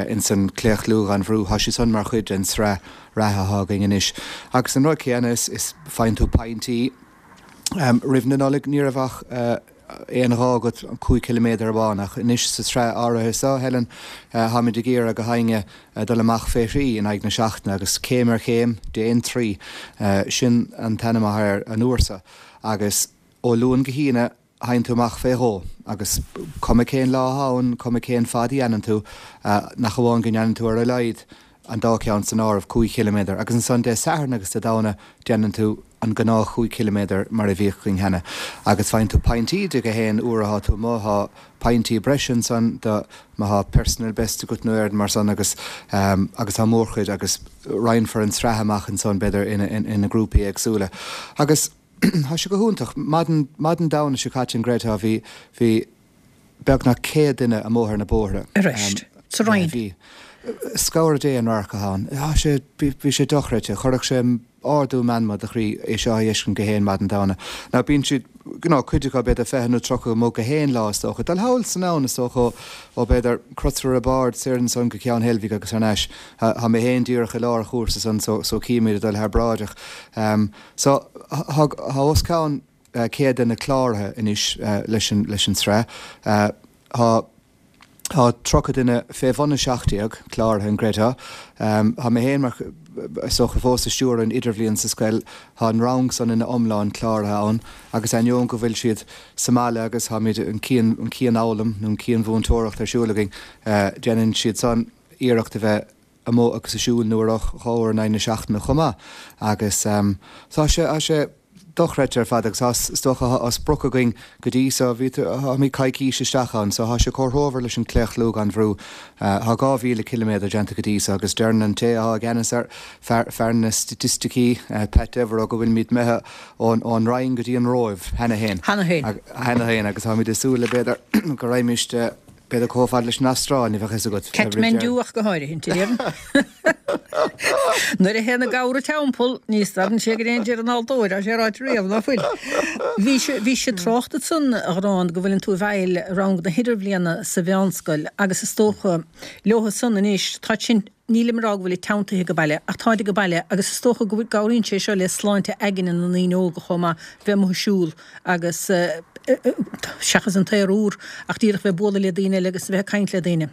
ins an claochlú gan bhrú tá siad san mar chuid den sraith reatha atá againn anois. Agus an rud céanna is is faigheann tú pointí Roimh na Nollag ní raibh ach aon ghá agat an cúig chiliméadar amháin ach anois sa tsraith áirithe seo, Helen, táimid ag iarraidh gach éinne dul amach fé thrí in aghaidh na seachtaine agus céim ar chéim, déan trí. Sin an t-ainm atá air an uair seo. Agus ó Luan go hAoine théann tú amach fé dhó agus cuma cén lá atá ann, cuma cén fad a dhéanann tú, nach amháin go ndéanann tú ar a laghad an dá cheann san áireamh, cúig chiliméadar, agus ansan Dé Sathairn agus Dé Domhnaigh déanann tú an gnáth chúig chiliméadar mar a bhíodh againn cheana. Agus faigheann tú pointí de gach aon uair atá tú amuigh, tá pointí breise ansan do má thá personal best agat nó aon rud mar san agus agus tá mórchuid agus roinnfear an tsraith amach ansan b'fhéidir ina ina grúpaí éagsúla. Agus tá sé go hiontach. Maidin maidin Domhnaigh seo caite an gcreidfeá bhí bhí beagnach céad duine amuigh ar na bóithre. Arís. Sa Rinn. Bhí. Scabhar Dé an radharc atá ann. Tá sé, bhí sé dochreidte. Chuirfeadh sé ardú meanma do chroí é seo a fheiscint gach aon maidin Domhnaigh. Now bíonn siad, you know, cuid acu b'fhéidir fiche nó tríocha amuigh gach aon lá is dócha. Dul thall is anonn is dócha ó, ó b'fhéidir Crosaire Bard soir ansan go Ceann Heilbhic agus thar n-ais. Tá mé féin díreach i lár an chúrsa san so, so címid ag dul thar bráid ach so tá, tá os cionn céad duine cláraithe anois leis an, leis an tsraith. Tá. Tá tríocha duine fé bhun a seacht déag cláraithe, an gcreidfeá. Tá mé féin mar, is dócha, fós ag stiúradh an idirbhliain sa scoil. Tá an rang san ina iomlán cláraithe ann agus ainneoin go bhfuil siad sa mbaile agus táimid an cian, an cianfhoghlaim nó an cianmhúinteoireacht ar siúl againn, déanann siad san iarracht a bheith amuigh agus ag siúl nó ar roth dhá uair in aghaidh na seachtaine chomh maith agus tá sé, tá sé dochreidte ar fad agus tá, is dócha, tá sprioc againn go dtí so, bhí, táimid coicís isteach ann so tá sé comhthreomhar leis an claochlú gan bhrú. Tá dhá mhíle ciliméadar déanta go dtí so agus deireann an té atá i gceannas air, fear, fear na staitisticí, Pat Devereux go bhfuilimid imithe ón, ón Rinn go dtí an Róimh cheana féin. Cheana féin. Cheana féin agus táimid ag súil le b'fhéidir go raghaimist, B'fhéidir chomh fada leis an Astráil, ní bheadh fhios agat. Kathmandu ach go háirithe, déarfainn. Nuair a théann an gabhar timpeall, ní stadann sé go dtí an deireadh an fháltóir, tá sé ráite riamh, ná fuil? Bhí sé, bhí sé trácht ansan, a Ghráinne, go bhfuileann tú i bhfeighil rang na hidirbhliana sa mheánscoil agus is dócha, leotha san anois, tá sin, nílim ag rá go bhfuil teanntaithe ag baile, ach táid ag baile agus is dócha go gcabhraíonn sé seo le sláinte aigne na ndaoine óga chomh maith, bheith amuigh ag siúl agus seachas an t-aer úr, ach díreach bheith ag bualadh le daoine eile agus a bheith ag caint le daoine.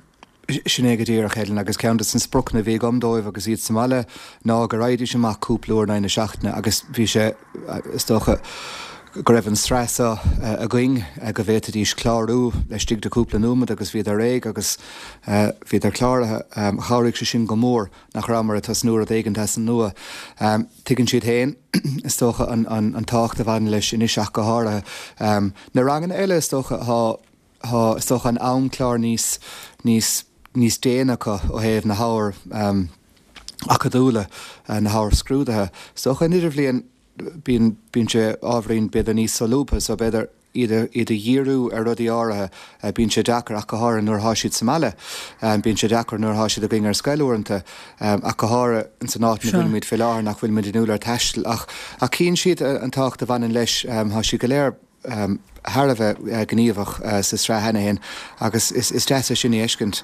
Sin é go díreach, Helen, agus ceann de na spriocanna a bhí agam dóibh agus iad sa mbaile ná go raghaidís amach cúpla uair in aghaidh na seachtaine agus bhí sé, is dócha, go raibh an tsraith seo againn go bhféadfaidís clárú laistigh de cúpla nóiméad agus bhíodar réidh agus bhíodar cláraithe. Chabhraigh sé sin go mór nach rabhamar ag tosnú rud éigin as an nua. Tuigeann siad féin, is dócha, an tábhacht a bhaineann leis anois ach go háirithe. Na ranganna eile, is dócha, tá, tá, is dócha, an amchlár níos, níos, níos déine acu ó thaobh na hábhair acadúla, na hábhair scrúdaithe. Is dócha, an idirbhliain, bíonn, bíonn sé ábhairín, b'fhéidir, níos solúbtha so b'fhéidir, iad a iad a dhíriú ar rudaí áirithe. Bíonn sé deacair ach go háirithe nuair atá siad sa mbaile. Bíonn sé deacair nuair atá siad againn ar scoil uaireanta, ach go háirithe ins an áit ina bhfuilimid fé láthair nach bhfuilimid inniúil ar taisteal. Ach ach chíonn siad an tábhacht a bhaineann leis. Tá siad go léir thar a bheith gníomhach sa tsraith cheana féin agus is is deas é sin a fheiscint.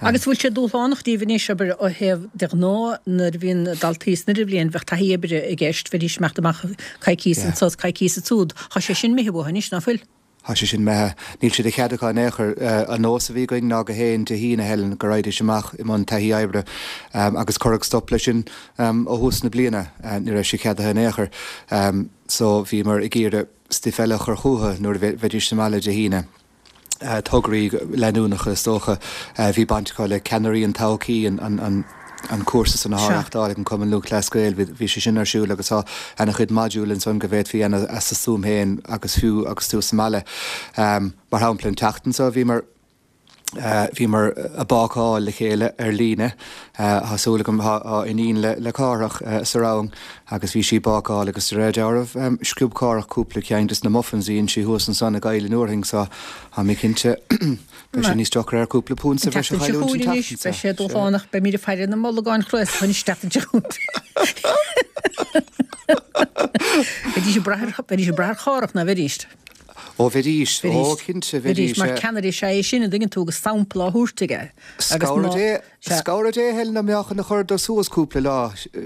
Agus bhfuil sé dúshlánach díobh anois, abair, ó thaobh de ghnáth nuair a bhíonn daltaí san idirbhliain bheadh taithí oibre i gceist, bheidís ag imeacht amach coicíos anso is coicíos ansúd. Tá sé sin imithe uathu anois, ná fuil? Tá sé sin imithe. Níl sé de chead acu in aon chor. An nós a bhí againn ná gach aon Dé hAoine, a Helen, go raghaidís amach i mbun taithí oibre agus cuireadh stop leis sin ó thús na bliana. Ní raibh sé ceadaithe in aon chor. So bhíomar ag iarraidh stuif eile a chur chucu nuair a bheidís sa mbaile Dé hAoine. tograí leanúnacha is dócha. Bhí baint acu le Ceannairí an Todhchaí, an cúrsa san atá á reachtáil ag an Cumann Lúthchleas Gael, bhí sé sin ar siúl agus tá ana-chuid modúl ansan go bhféadfaí a dhéanamh as do stuaim féin agus fiú agus tú sa mbaile. Mar shampla an tseachtain seo bhíomar bhíomar ag bácáil le chéile ar líne. Tá súil agam tá iníon le Cárthach sa rang agus bhí sí ag bácáil agus de réir dealraimh sciob Cárthach cúpla ceann des na muffins a dhein sí thuas ansan i gCoill an Fhearthainn so tá mé cinnte beidh sé níos deacra air cúpla punt sa bhreis a chailliúint an tseachtain seo. Beidh sé dúshlánach, beimid ag faire na mbolgán chraosacha an tseachtain seo chugainn. Bheidís ag brath ar Chárthach ná bheidís? Ó bheidís, ó cinnte bheidís. Mar ceannaire is ea é sin an dtuigeann tú agus sampla á thabhairt aige. Scabhar Dé Helen dá mbeadh ina chur dó suas cúpla lá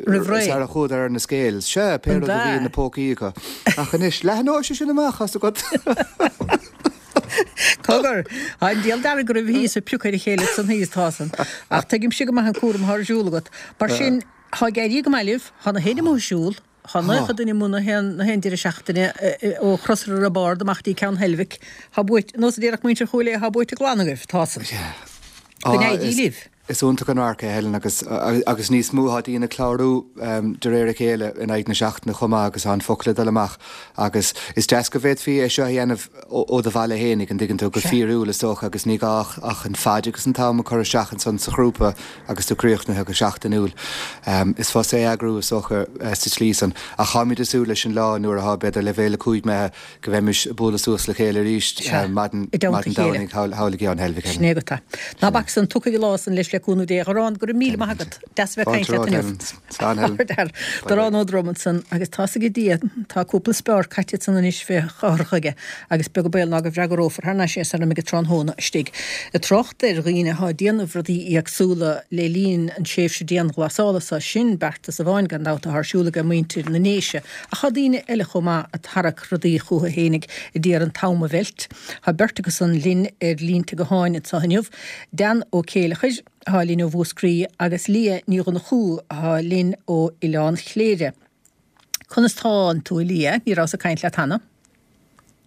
roimh ré. Sara chuadar ar na scales. Sea, pé rud a bhí ina pócaí acu. Ach anois, leathnóidh sé sin amach as agat. Cogar, tá an diabhal dearg go raibh thíos ag piocadh ar a chéile san thíos tá san. Ach tuigimse go maith an cúram atá ar siúl agat. Mar sin, tá ag éirí go maith libh, tá na héinne amuigh ag siúl, tá naocha duine amuigh na haon na haon deireadh seachtaine ó Chrosaire Roibeárd amach dtí Ceann Heilbhic. Tá buaite, nós a déarfadh muintir Chúil Aodha, tá buaite glan agaibh, tá san. Go n-éirí libh. Is iontach an radharc é Helen agus agus níos mó tá daoine ag clárú de réir a chéile in aghaidh na seachtaine chomh maith agus tá an focal ag dul amach agus is deas go bhféadfaí é seo a dhéanamh ó do bhaile fhéinig an dtuigeann tú go fíriúil is dócha agus ní gá ach an fad agus an t-am a chur isteach ansan sa ghrúpa agus tú críochnaithe go seachtainiúil. Is fusa é a eagrú is dócha sa tslí san ach táimid ag súil leis an lá nuair atá b'fhéidir leibhéal a cúig imithe go bheimis ag bualadh suas le chéile arís maidin maidin Domhnaigh thall i gCeann Heilbhic. Sin é agat é. Ná bac san, tiocfaidh an lá san leis le cúnamh Dé. A Dharán, go raibh míle maith agat. Deas a bheith ag caint leat inniu. Darán Ó Drom ansan agus tá's ag Dia, tá cúpla speár caite ansan anois fé chur chuige agus beag an baol ná go bhfreagrófar thar n-ais é sara mbeidh an tráthnóna istigh. Ag trácht ar dhaoine atá ag déanamh rudaí éagsúla le linn an tréimhse dianghlasála so, sin beartas amháin gan dabht atá ar siúl ag muintir na nDéise ach tá daoine eile chomh maith ag tarrac rudaí chucu fhéinig a d'iarraidh an t-am a mheilt. Tá beirt acu san linn ar línte gutháin anseo inniu, Dan Ó Céileachair, atá linn ó Mhúscraí, agus Liadh Ní Dhonnchú, atá linn ó Oileán Chléire. Conas tánn tú, a Liadh? Ní rabhas ag caint leat cheana.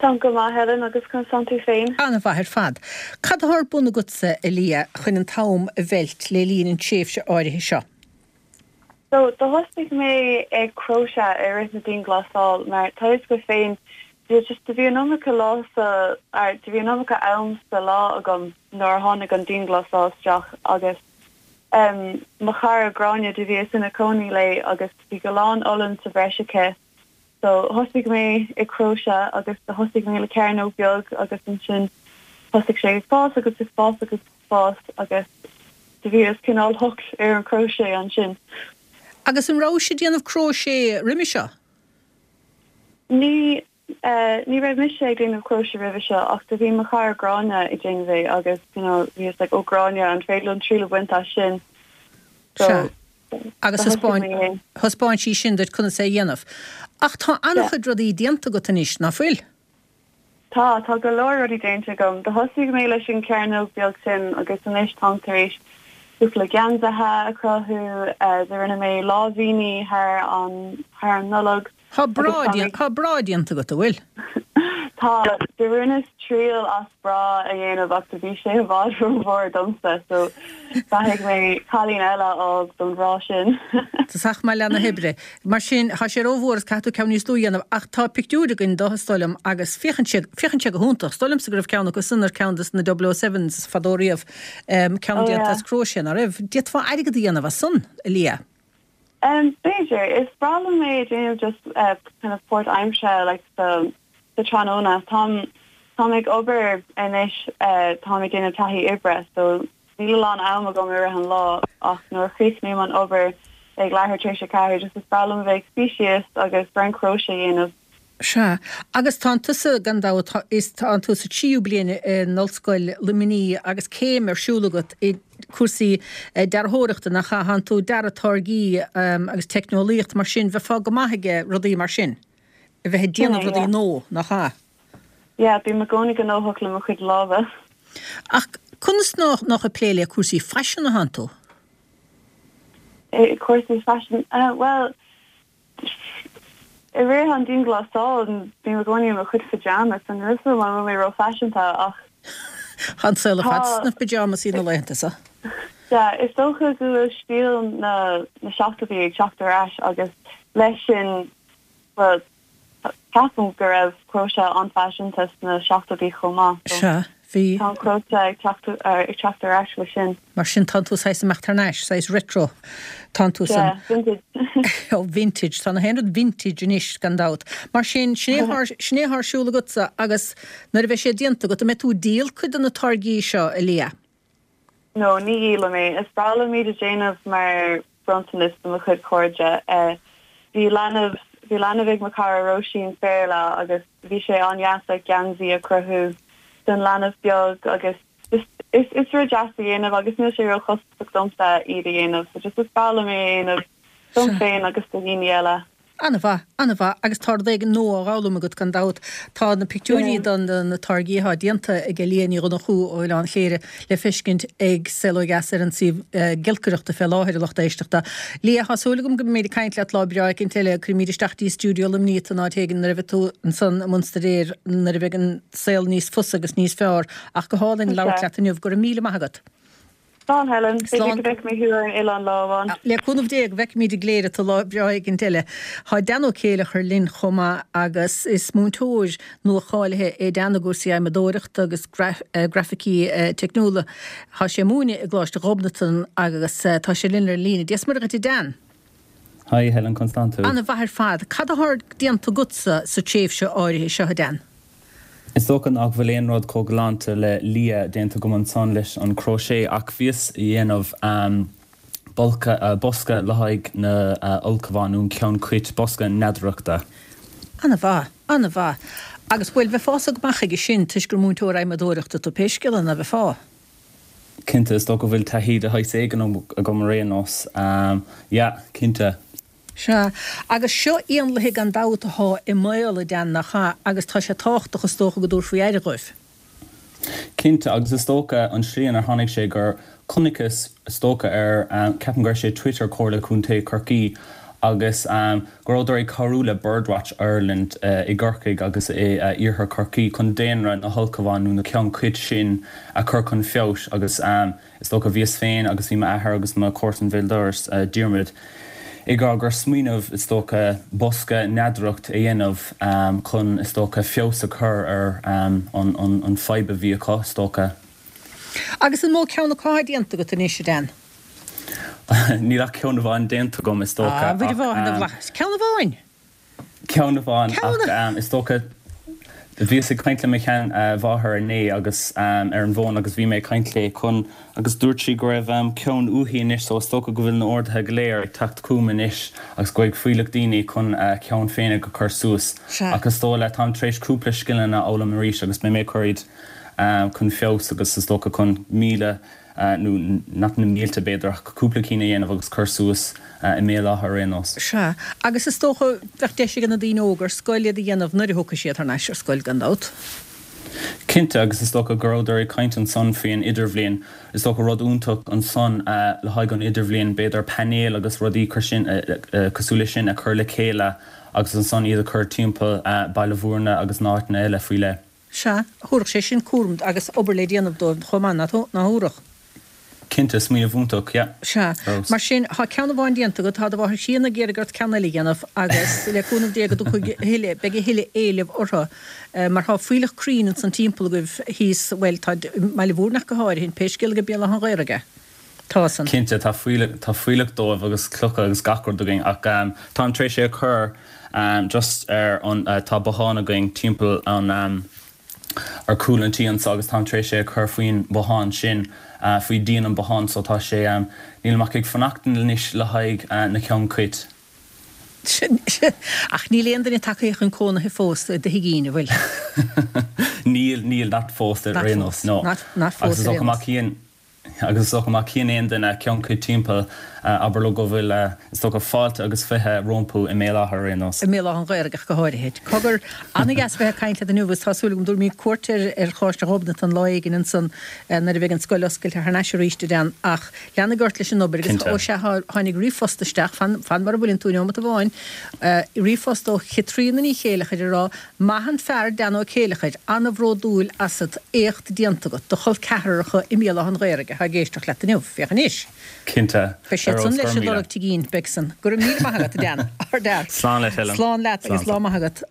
Táim go maith, Helen, agus conas tánn tú féin? An-mhaith ar fad. Cad atá ar bun agatsa, a Liadh, chun an t-am a mheilt le linn an tréimhse áirithe seo? So, do thosaigh mé ag cróise i rith na dianghlasáil mar tá fhios agat féin, just do bhí an iomarca lá sa, or do bhí an iomarca am sa lá agam nuair a tháinig an dianghlasáil isteach agus em mo chara Gráinne do bhíos ina cónaí léi agus bhí go lán olann sa bhreis aici so thosaigh mé ag cróise agus do thosaigh mé le cearnóg beag agus ansin thosaigh sé ag fás agus ag fás agus ag fás agus do bhíos cineál hooked ar an crochet ansin. Agus an rabhais ag déanamh crochet roimhe seo? Ní, ní raibh mise ag déanamh crochet roimhe seo ach do bhí mo chara Gráinne ag déanamh é agus you know bhíos like oh Gráinne an féidir liom triail a bhaint as sin? So Sea. Agus do thosaigh mé é. thaispeáin sí sin duit conas é a dhéanamh. Ach tá an-chuid rudaí déanta agat anois, ná fuil? Tá, tá go leor rudaí déanta agam. Do thosaigh mé leis an cearnóg beag sin agus anois táim tar éis cúpla geansaithe a chruthú, do rinne mé láimhíní thar an, thar an Nollaig Tá bra, agus tá mé. tá bra déanta agat, an bhfuil? Tá, do rinneas triail as bra a dhéanamh ach do bhí sé i bhfad rómhór domsa so caithfidh mé cailín eile a fháil don bhra sin. Tá sách maith leath na hoibre. Mar sin, tá sé rómhór is caithfidh tú ceann níos lú a dhéanamh ach tá pictiúir againn de is dóigh liom agus féachann sé, féachann sé go hiontach. Is dóigh liomsa go raibh ceann acu san ar ceann de na double oh sevens fadó riamh, ceann Oh déanta yeah. as cróisé, ná raibh? D'fhéadfá airgead a dhéanamh as san, a Liadh. Um, b'fhéidir. Is breá liom é a déanamh just uh, kind of páirtaimseartha like sa sa tráthnóna. Táim táim ag obair anois uh, táim ag déanamh taithí oibre so níl a lán am agam i rith an lá ach nuair a chríochnaím an obair ag leathuair tar éis a ceathair just is breá liom a bheith ag suí síos agus roinnt cróise a dhéanamh. Sea, agus tánn tusa, gan dabht, is tánn tú sa tríú bliain in Ollscoil Luimnigh agus céim ar siúl agat i cúrsaí dearthóireachta, nach ea? Tánn tú ag dearadh táirgí agus teicneolaíocht, mar sin, bheifeá go maith ag rudaí mar sin, a bheith ag Sin déanamh é, rudaí yeah. nua, nach ea? Yeah, bím i gcónaí gnóthach le mo chuid lámha. Ach conas nach ag plé le cúrsaí faisin a thánn tú? I cúrsaí faisin? Bhuel, i rith an dianghlasáil, bím i gcónaí i mo chuid pyjamas, so níl a fhios agam an bhfuil mé ró-fhaiseanta ach Tá an saol ar fad tá sna pyjamas na laethanta seo. Yeah, is dócha go bhfuil stíl na na seachtóidí ag teacht ar ais agus leis sin, bhuel, Ceapaim go raibh cróise an-fhaiseanta sna seachtóidí chomh maith, so Sea, bhí. tá an cróise ag teacht ag teacht ar ais leis sin. Mar sin tánn tú saghas imeacht thar n-ais, saghas retro, tánn tú Sea, san. vintage. Oh, vintage, tá na haon rud vintage anois gan dabht. Mar sin, sin é thá, sin é thá ar siúl agatsa agus nuair a bheidh sé déanta agat, an mbeidh tú ag díol cuid de na táirgí seo, a Liadh? No, ní dhíolfaidh mé. Is breá liom iad a déanamh mar bronntanas do mo chuid cairde. Bhí leanbh, bhí leanbh ag mo chara Róisín Féarla agus bhí sé an-deas like geansaí a chruthú don leanbh beag agus just is is rud deas a dhéanamh agus níl sé ró-chostasach domsa iad a dhéanamh so just is breá liom é a dhéanamh dom féin agus do dhaoine eile. An-mhaith, an-mhaith, agus tá rud éigin nua á fhoghlaim agat gan dabht. Tá na pictiúirí don na táirgí atá déanta ag Liadh Ní Dhonnchú ó Oileán Chléire le feiscint ag Saol Ó Dheas ar an suíomh giolcaireachta fé láthair, a lucht éisteachta. Liadh, tá súil agam go mbeimid ag caint leat lá breá éicint eile. Cuirfimid isteach dtí stiúideo Luimnigh tú in áit éigin nuair a bheidh tú ansan i mbun staidéir, nuair a bheidh an saol níos fusa agus níos fearr. Ach go hálainn labhairt leat inniu. Go raibh míle maith agat. Slán Helen, b'fhéidir go bhfeicfidh mé thú ar an oileán lá amháin. Le cúnamh Dé go bhfeicfimid i gCléire tú lá breá éigint eile. Tá Dan Ó Céileachair linn chomh maith agus is múinteoir nua-cháilithe é Dan i gcúrsaí adhmadóireachta agus grafaicí teicniúla. Tá sé ag múineadh i gColáiste Ghobnatan agus tá sé linn ar an líne. Dia is Muire dhuit a Dan. Hi Helen, conas tánn tú? Ana mhaith ar fad. Cad atá déanta agatsa sa tréimhse áirithe seo a Dan? Is dócha nach bhfuil aon rud chomh galánta le Liadh déanta agam ansan leis an crochet ach bhíos a dhéanamh bolca, bosca le haghaidh na ulchabhán nó an ceann cait, bosca neadaireachta. Ana-mhaith, ana-mhaith. Agus bhuel, bheifeása go maith aige sin toisc gur múinteoir adhmadóireachta tú pé scéal é, ná beifeá? Cinnte, is dócha go bhfuil taithí de shaghas éigin agam ar aon nós. Yeah, cinnte. Sea, agus seo éanlaithe gan dabht athá i mbaol, a Dan, nach ea? Agus tá sé tábhachtach, is dócha, go dtabharfaí aire dhóibh. Cinnte, agus is dócha an tslí inar tháinig sé gur chonaiceas, is dócha, ar, ceapaim go raibh sé Twitter Comhairle Contae Chorcaí agus go rabhadar ag cabhrú le Birdwatch Ireland i gCorcaigh agus i Iarthar Chorcaí chun daonra na hulchabhán nó na ceann cait sin a chur chun feabhais agus is dócha bhíos féin agus bhí m'athair agus mo chomharsan béal dorais, Diarmuid, ag rá gur smaoineamh, is dócha, bosca neadaireacht a dhéanamh chun, is dócha, feabhas a chur ar an fadhb a bhí acu, is dócha. Agus an mó ceann acu atá déanta agat anois, a Dan? Níl ach ceann amháin déanta agam, is dócha, ach. A Mhuire Mháthair na bhFlaitheas. Ceann amháin? Ceann amháin, ach is dócha, bhíos ag caint le mo sheanmháthair inné agus ar an bhfón agus bhí mé ag caint léi chun agus dúirt sí go raibh ceann uaithi anois so is dócha go bhfuil na orduithe go léir ag teacht chugam anois agus go bhfuil fuílleach daoine chun a ceann féinig a chur suas ach is dóigh le táim tar éis cúpla scileanna a fhoghlaim arís agus beidh mé ag cur iad chun feabhas agus is dócha chun míle nó nach na mílte b'fhéidir, ach cúpla cinn a dhéanamh agus cur suas i mBéal Átha ar aon nós. Sea, agus is dócha, bheadh deis ag na daoine óga ar scoil iad a dhéanamh nuair a thiocfaidh siad thar n-ais ar scoil, gan dabht. Cinnte, agus is dócha go rabhadar ag caint ansan faoi an idirbhliain, is dócha rud iontach ansan le haghaidh an idirbhliain, b'fhéidir painéil agus rudaí sin, cosúil leis sin a chur le chéile agus ansan iad a chur timpeall Baile Bhúirne agus na áiteanna eile faoi leith. Sea, thabharfadh sé sin cúram agus obair le déanamh dóibh chomh maith, nach dtabharfadh? Cinnte, smaoineamh iontach, yeah. Sea. Mar sin, tá ceann amháin déanta agat, tá do mháthair chríonna ag iarraidh ort ceann eile a dhéanamh agus le cúnamh Dé go dtiocfaidh a thuilleadh, beidh a thuilleadh éilimh orthu mar tá fuílleach crainn ansan timpeall agaibh thíos, bhuel, tá i mBaile Bhúirne ach go háirithe, pé scéal é go Béal Átha an Ghaorthaidh. Tá san. Cinnte, tá fuílleach, tá fuílleach dóibh agus clocha agus gach rud againn ach táim tar éis é a chur just ar an, tá bothán againn timpeall an, ar chúl an tí anso agus táim tar éis é a chur faoin bothán sin, faoi dhíon an botháin so tá sé, nílim ach ag fanacht anois le haghaidh na ceann cait. Ach níl aon duine tagtha chun cónaithe fós i do thigín, an bhfuil? Níl, níl, not fós ar aon nós, no. Not fós ar aon nós. Agus is dócha má chíonn aon duine ceann cait timpeall, abair leo go bhfuil, is dócha, fáilte agus fiche rompu i mBéal Átha ar aon nós. I mBéal Átha an Ghaorthaidh ach go háirithe. Cogar, an-dheas bheith ag caint leat inniu agus tá súil agam go dtabharfaimid cuairt ar ar Choláiste Ghobnatan lá éigin ansan nuair a bheidh an scoil oscailte thar n-ais arís, a Dan. Ach leanaigí ort leis an obair agus, ó sea, tháinig ríomhphost isteach, fan, fan mar a bhfuileann tú, neomat amháin, ríomhphost ó Chaitríona Ní Chéileachair ag rá, Maith an fear Dan Ó Céileachair, an-bhródúil asat, éacht déanta agat, do chol ceathracha i mBéal Átha an Ghaorthaidh atá ag éisteacht leat inniu, féach anois. Cinnte. Beidh siad san leis ag lorg tigín, beidh san. Go raibh míle maith agat, a Dan. Ardfhear. Slán leat, Helen. Slán leat agus lá maith agat.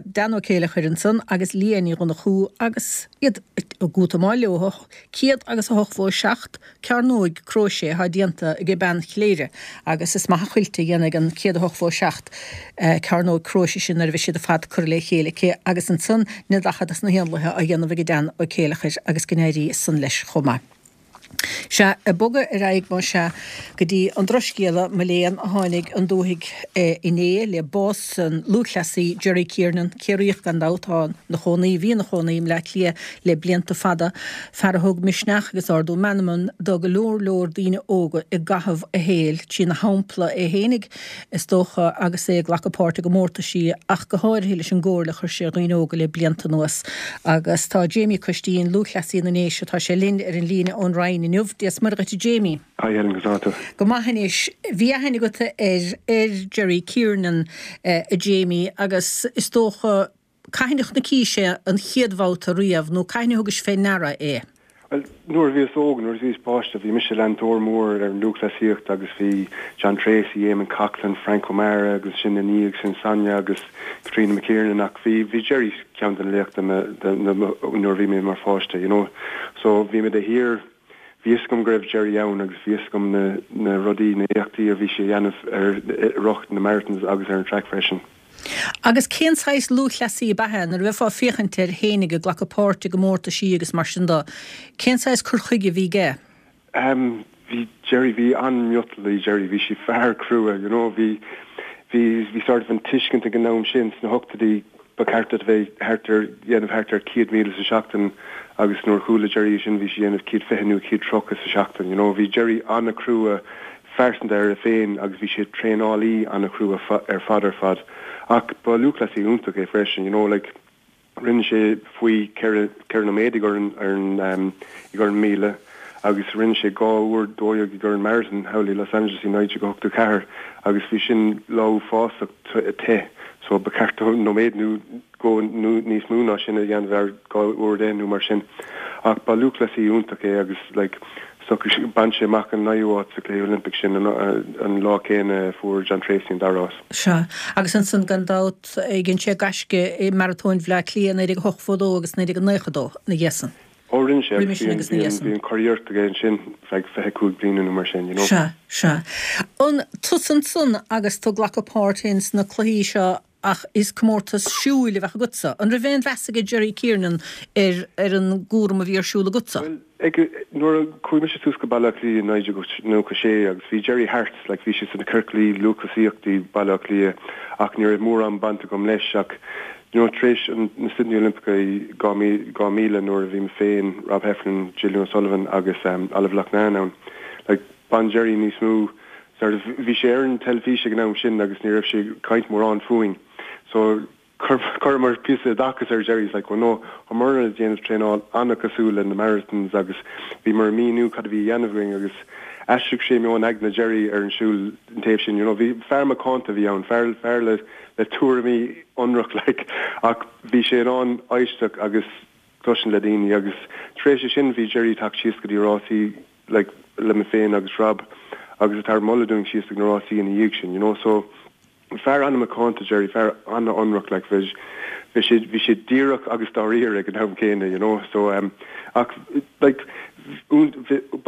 Dan Ó Céileachair ansan agus Liadh Ní Dhonnchú agus iad ag útamáil leo, céad agus a hochtó a seacht cearnóig cróisé atá déanta ag bean Chléire agus is maith an chuilt a dhéanfaidh an céad a hochtó a seacht cearnóg cróise sin nuair a bheidh siad ar fad curtha le chéile aici agus ansan na daichead dos na héanlaithe á dhéanamh ag Dan Ó Céileachair agus go n-éirí san leis chomh maith. Sea, ag bogadh ar aghaidh más ea go dtí an drochscéala, mo léan, a tháinig an dúthaigh inné le bás an lúthchleasaí Jerry Kiernan, Ciarraíoch gan dabht, atá ina chónaí, bhí ina chónaí i mBleá Cliath le blianta fada, fear a thug misneach agus ardú meanman do go leor leor daoine óga i gcaitheamh a shaoil, trína shampla é fhéinig, is dócha, agus é ag glacadh páirt i gcomórtaisí ach go háirithe leis an gcomhairle a chuir sé ar dhaoine óga le blianta anuas. Agus tá Jamie Coistín, lúthchleasaí na nDéise, tá sé linn ar an líne ón Rinn inniu. Dia is Muire dhuit a Jamie. Hi Helen, conas tá tú? Go maith anois. Bhí aithne agat ar ar Jerry Kiernan, a Jamie, agus is dócha, cathain a chonaicís é an chéad bhabhta riamh nó cathain a thugais fé ndeara é? Bhuel, nuair a bhíos óg, nuair a bhíos páiste, bhí mise leantóir mór ar an lúthchleasaíocht agus bhí John Treacy, Eamon Coghlan, Frank O'Mara agus sin ina dhiaidh sin Sonia agus Katrina McKiernan ach bhí, bhí Jerry ceann de na laochra nuair a bhí mé mar pháiste, you know. So bhí mé de shíor, bhí fhios agam go raibh Jerry ann agus bhí fhios agam na, na rudaí, na éachtaí a bhí sé a dhéanamh ar rith na marathons agus ar an track freisin. Agus cén saghas lúthchleasaí ab ea é? Nuair a bheifeá ag féachaint air fhéinig ag glacadh páirt i gcomórtaisí agus mar sin de, cén saghas cur chuige a bhí aige? Em, bhí Jerry, bhí an-mhiotal i Jerry, bhí sé fear crua, you know, bhí, bhí, bhí sort of an tuiscint ag an am sin sna hochtóidí ba cheart duit a bheith thart ar, dhéanamh thart ar céad míle sa seachtain agus nuair a chuala Jerry é sin bhí sé dhéanamh céad fiche nó céad tríocha sa seachtain, you know, bhí Jerry an-chrua phearsanta air féin agus bhí sé traenálaí an-chrua ar fad ar fad. Ach ba lúthchleasaí iontach é freisin, you know, like, rinne sé faoi ceithre ceithre nóiméad i gcomhair an ar an um, i gcomhair an míle agus rinne sé dhá uair dó dhéag i gcomhair an marathon thall i Los Angeles i naoi déag ochtó ceathair agus bhí sin lá uafásach te so ba cheart dó nóiméad nó dhó nó níos mó ná sin a dhéanamh ar dhá uair deich nó mar sin. Ach ba lúthchleasaí iontach é agus like bhain sé amach an naoú háit sa Chluiche Oilimpeach sin an lá céanna a fuair John Treacy an dara háit. Sea, agus ansan gan dabht dhein sé gaisce i Maratóin Bhaile Átha Cliath naoi déag ochtó dó agus naoi déag naocha dó ina dhiaidh san. Ó rinne sé agus bhí an, bhí an churiarracht aige ansin feadh fiche cúig bliana nó mar sin, you know. Sea, sea. An tusa ansan agus tú ag glacadh páirt féin sna cluichí seo ach is comórtas siúil a bheadh agatsa. An raibh aon mheas aige Jerry Kiernan ar ar an gcúram a bhí ar siúl agatsa? Bhuel, ag, nuair a chuaigh mise suas go Baile Átha Cliath i naoi déag nócha sé agus bhí Jerry thart, like bhí sé sna ciorclaí lúthchleasaíochta i Baile Átha Cliath ach ní raibh mórán baint agam leis ach you know tar éis an, na Sydney Olympica i dhá dhá mhíle nuair a bhí mé féin, Rob Heffernan, Gillian O'Sullivan agus um, Olive Loughnane ann, like bhain Jerry níos mó sort of bhí sé ar an teilifís ag an am sin agus ní raibh sé ag caint mórán fúinn so chuireamar píosa oideachais ar Jerry like well no táimid ag déanamh traenáil an-chosúil le na marathons agus bhíomar ag míniú cad a bhí á dhéanamh againn agus aistrigh sé meon aigne Jerry ar an siúl an taobh sin you know bhí fear macánta a bhí ann fear fear le le tuairimí ionraic like ach bhí sé in ann éisteacht agus cloisteáil le daoine agus tar éis sin bhí Jerry ag teacht síos go dtí rásaí like le mé féin agus Rob agus ag tabhairt moladh dúinn síos ag na rásaí ina dhiaidh sin you know so fear an-mhacánta Jerry fear an-ionraic like bhí bhí sé bhí sé díreach agus dáiríre ag an am céanna you know so um ach like ba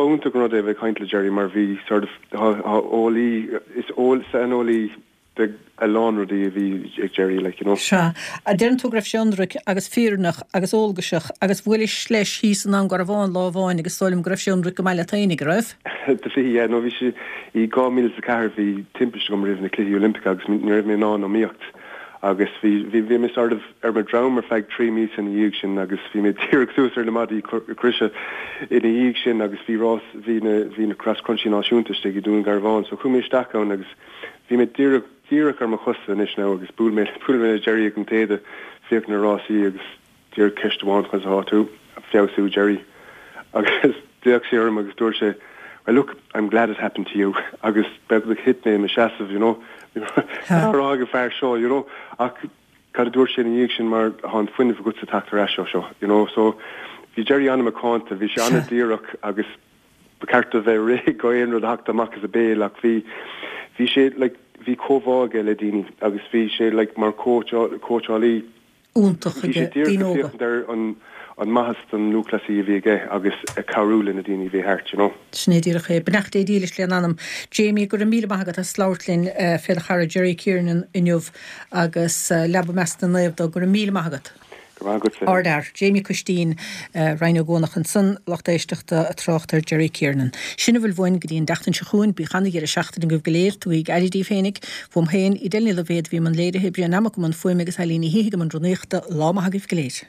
iontach an rud é a bheith ag caint le Jerry mar bhí sort of eolaí is eol saineolaí de a lán rudaí a bhí ag Jerry like you know. Sea. Deireann tú go raibh sé ionraic agus fírinneach agus eolgaiseach agus bhuailis leis thíos i nDún Garbhán lá amháin agus is dóigh liom go raibh sé ionraic go maith leat fhéinig, an raibh? Do bhí, yeah, no bhí sé i dhá mhíle is a ceathair bhí timpiste agam roimh na Cluichí Oilimpeacha agus ní raibh mé in ann iomaíocht agus bhí bhí bhí mé sort of ar mo dhroim ar feadh trí míosa ina dhiaidh sin agus bhí mé díreach suas ar na maidí croise ina dhiaidh sin agus bhí rás bhí na bhí na Cross Country náisiúnta istigh i Dún Garbhán so chuaigh mé isteach ann agus Bhí mé díreach, díreach ar mo chosa anois now agus bhuail mé, bhuail mé le Jerry ag an téada, féachaint na rásaí agus díreach ceist amháin conas atá tú, feabhsú Jerry. Agus d'fhéach sé orm agus dúirt sé, well look, I'm glad it happened to you agus beagnach thit mé i mo sheasamh, you know, cad á rá ag an fear seo, you know, ach cad a dúirt sé ina dhiaidh sin mar tá an fuinneamh agatsa teacht ar ais ó seo, you know, so bhí Jerry an-mhacánta, bhí sé an-díreach agus ba cheart do bheith réidh go aon rud a theacht amach as a béal ach bhí bhí sé like bhí comhbhá aige le daoine agus bhí sé like mar cóitseálaí iontach bhí sé aige daoine díreach ag óga. féachaint ar an an maitheas don lúthchleasaí a bhí aige agus ag cabhrú le na daoine a bhí thart you know. Sin é díreach é. Beannacht Dé dílis lena anam. Jamie, go raibh míle maith agat as labhairt linn fé do chara Jerry Kiernan inniu agus leaba i measc na naomh dó. Go raibh míle maith agat. Go Go raibh maith agatsa. Ardfhear. Jamie Custín, Rinn Ó gCuanach ansan, lucht éisteachta ag trácht ar Jerry Kiernan. Sin a bhfuil uainn go dtí an tseachtain seo chugainn. Bíodh ana-dheireadh seachtaine agaibh go léir. Tugaigí aire daoibh féinig. Uaim féin, Edel Ní Loibhéad a bhí i mbun léirithe, Brian Mac i mbun fuaime agus Eileen Ní hÍthigh i mbun rúnaíochta. Lá maith agaibh go léir.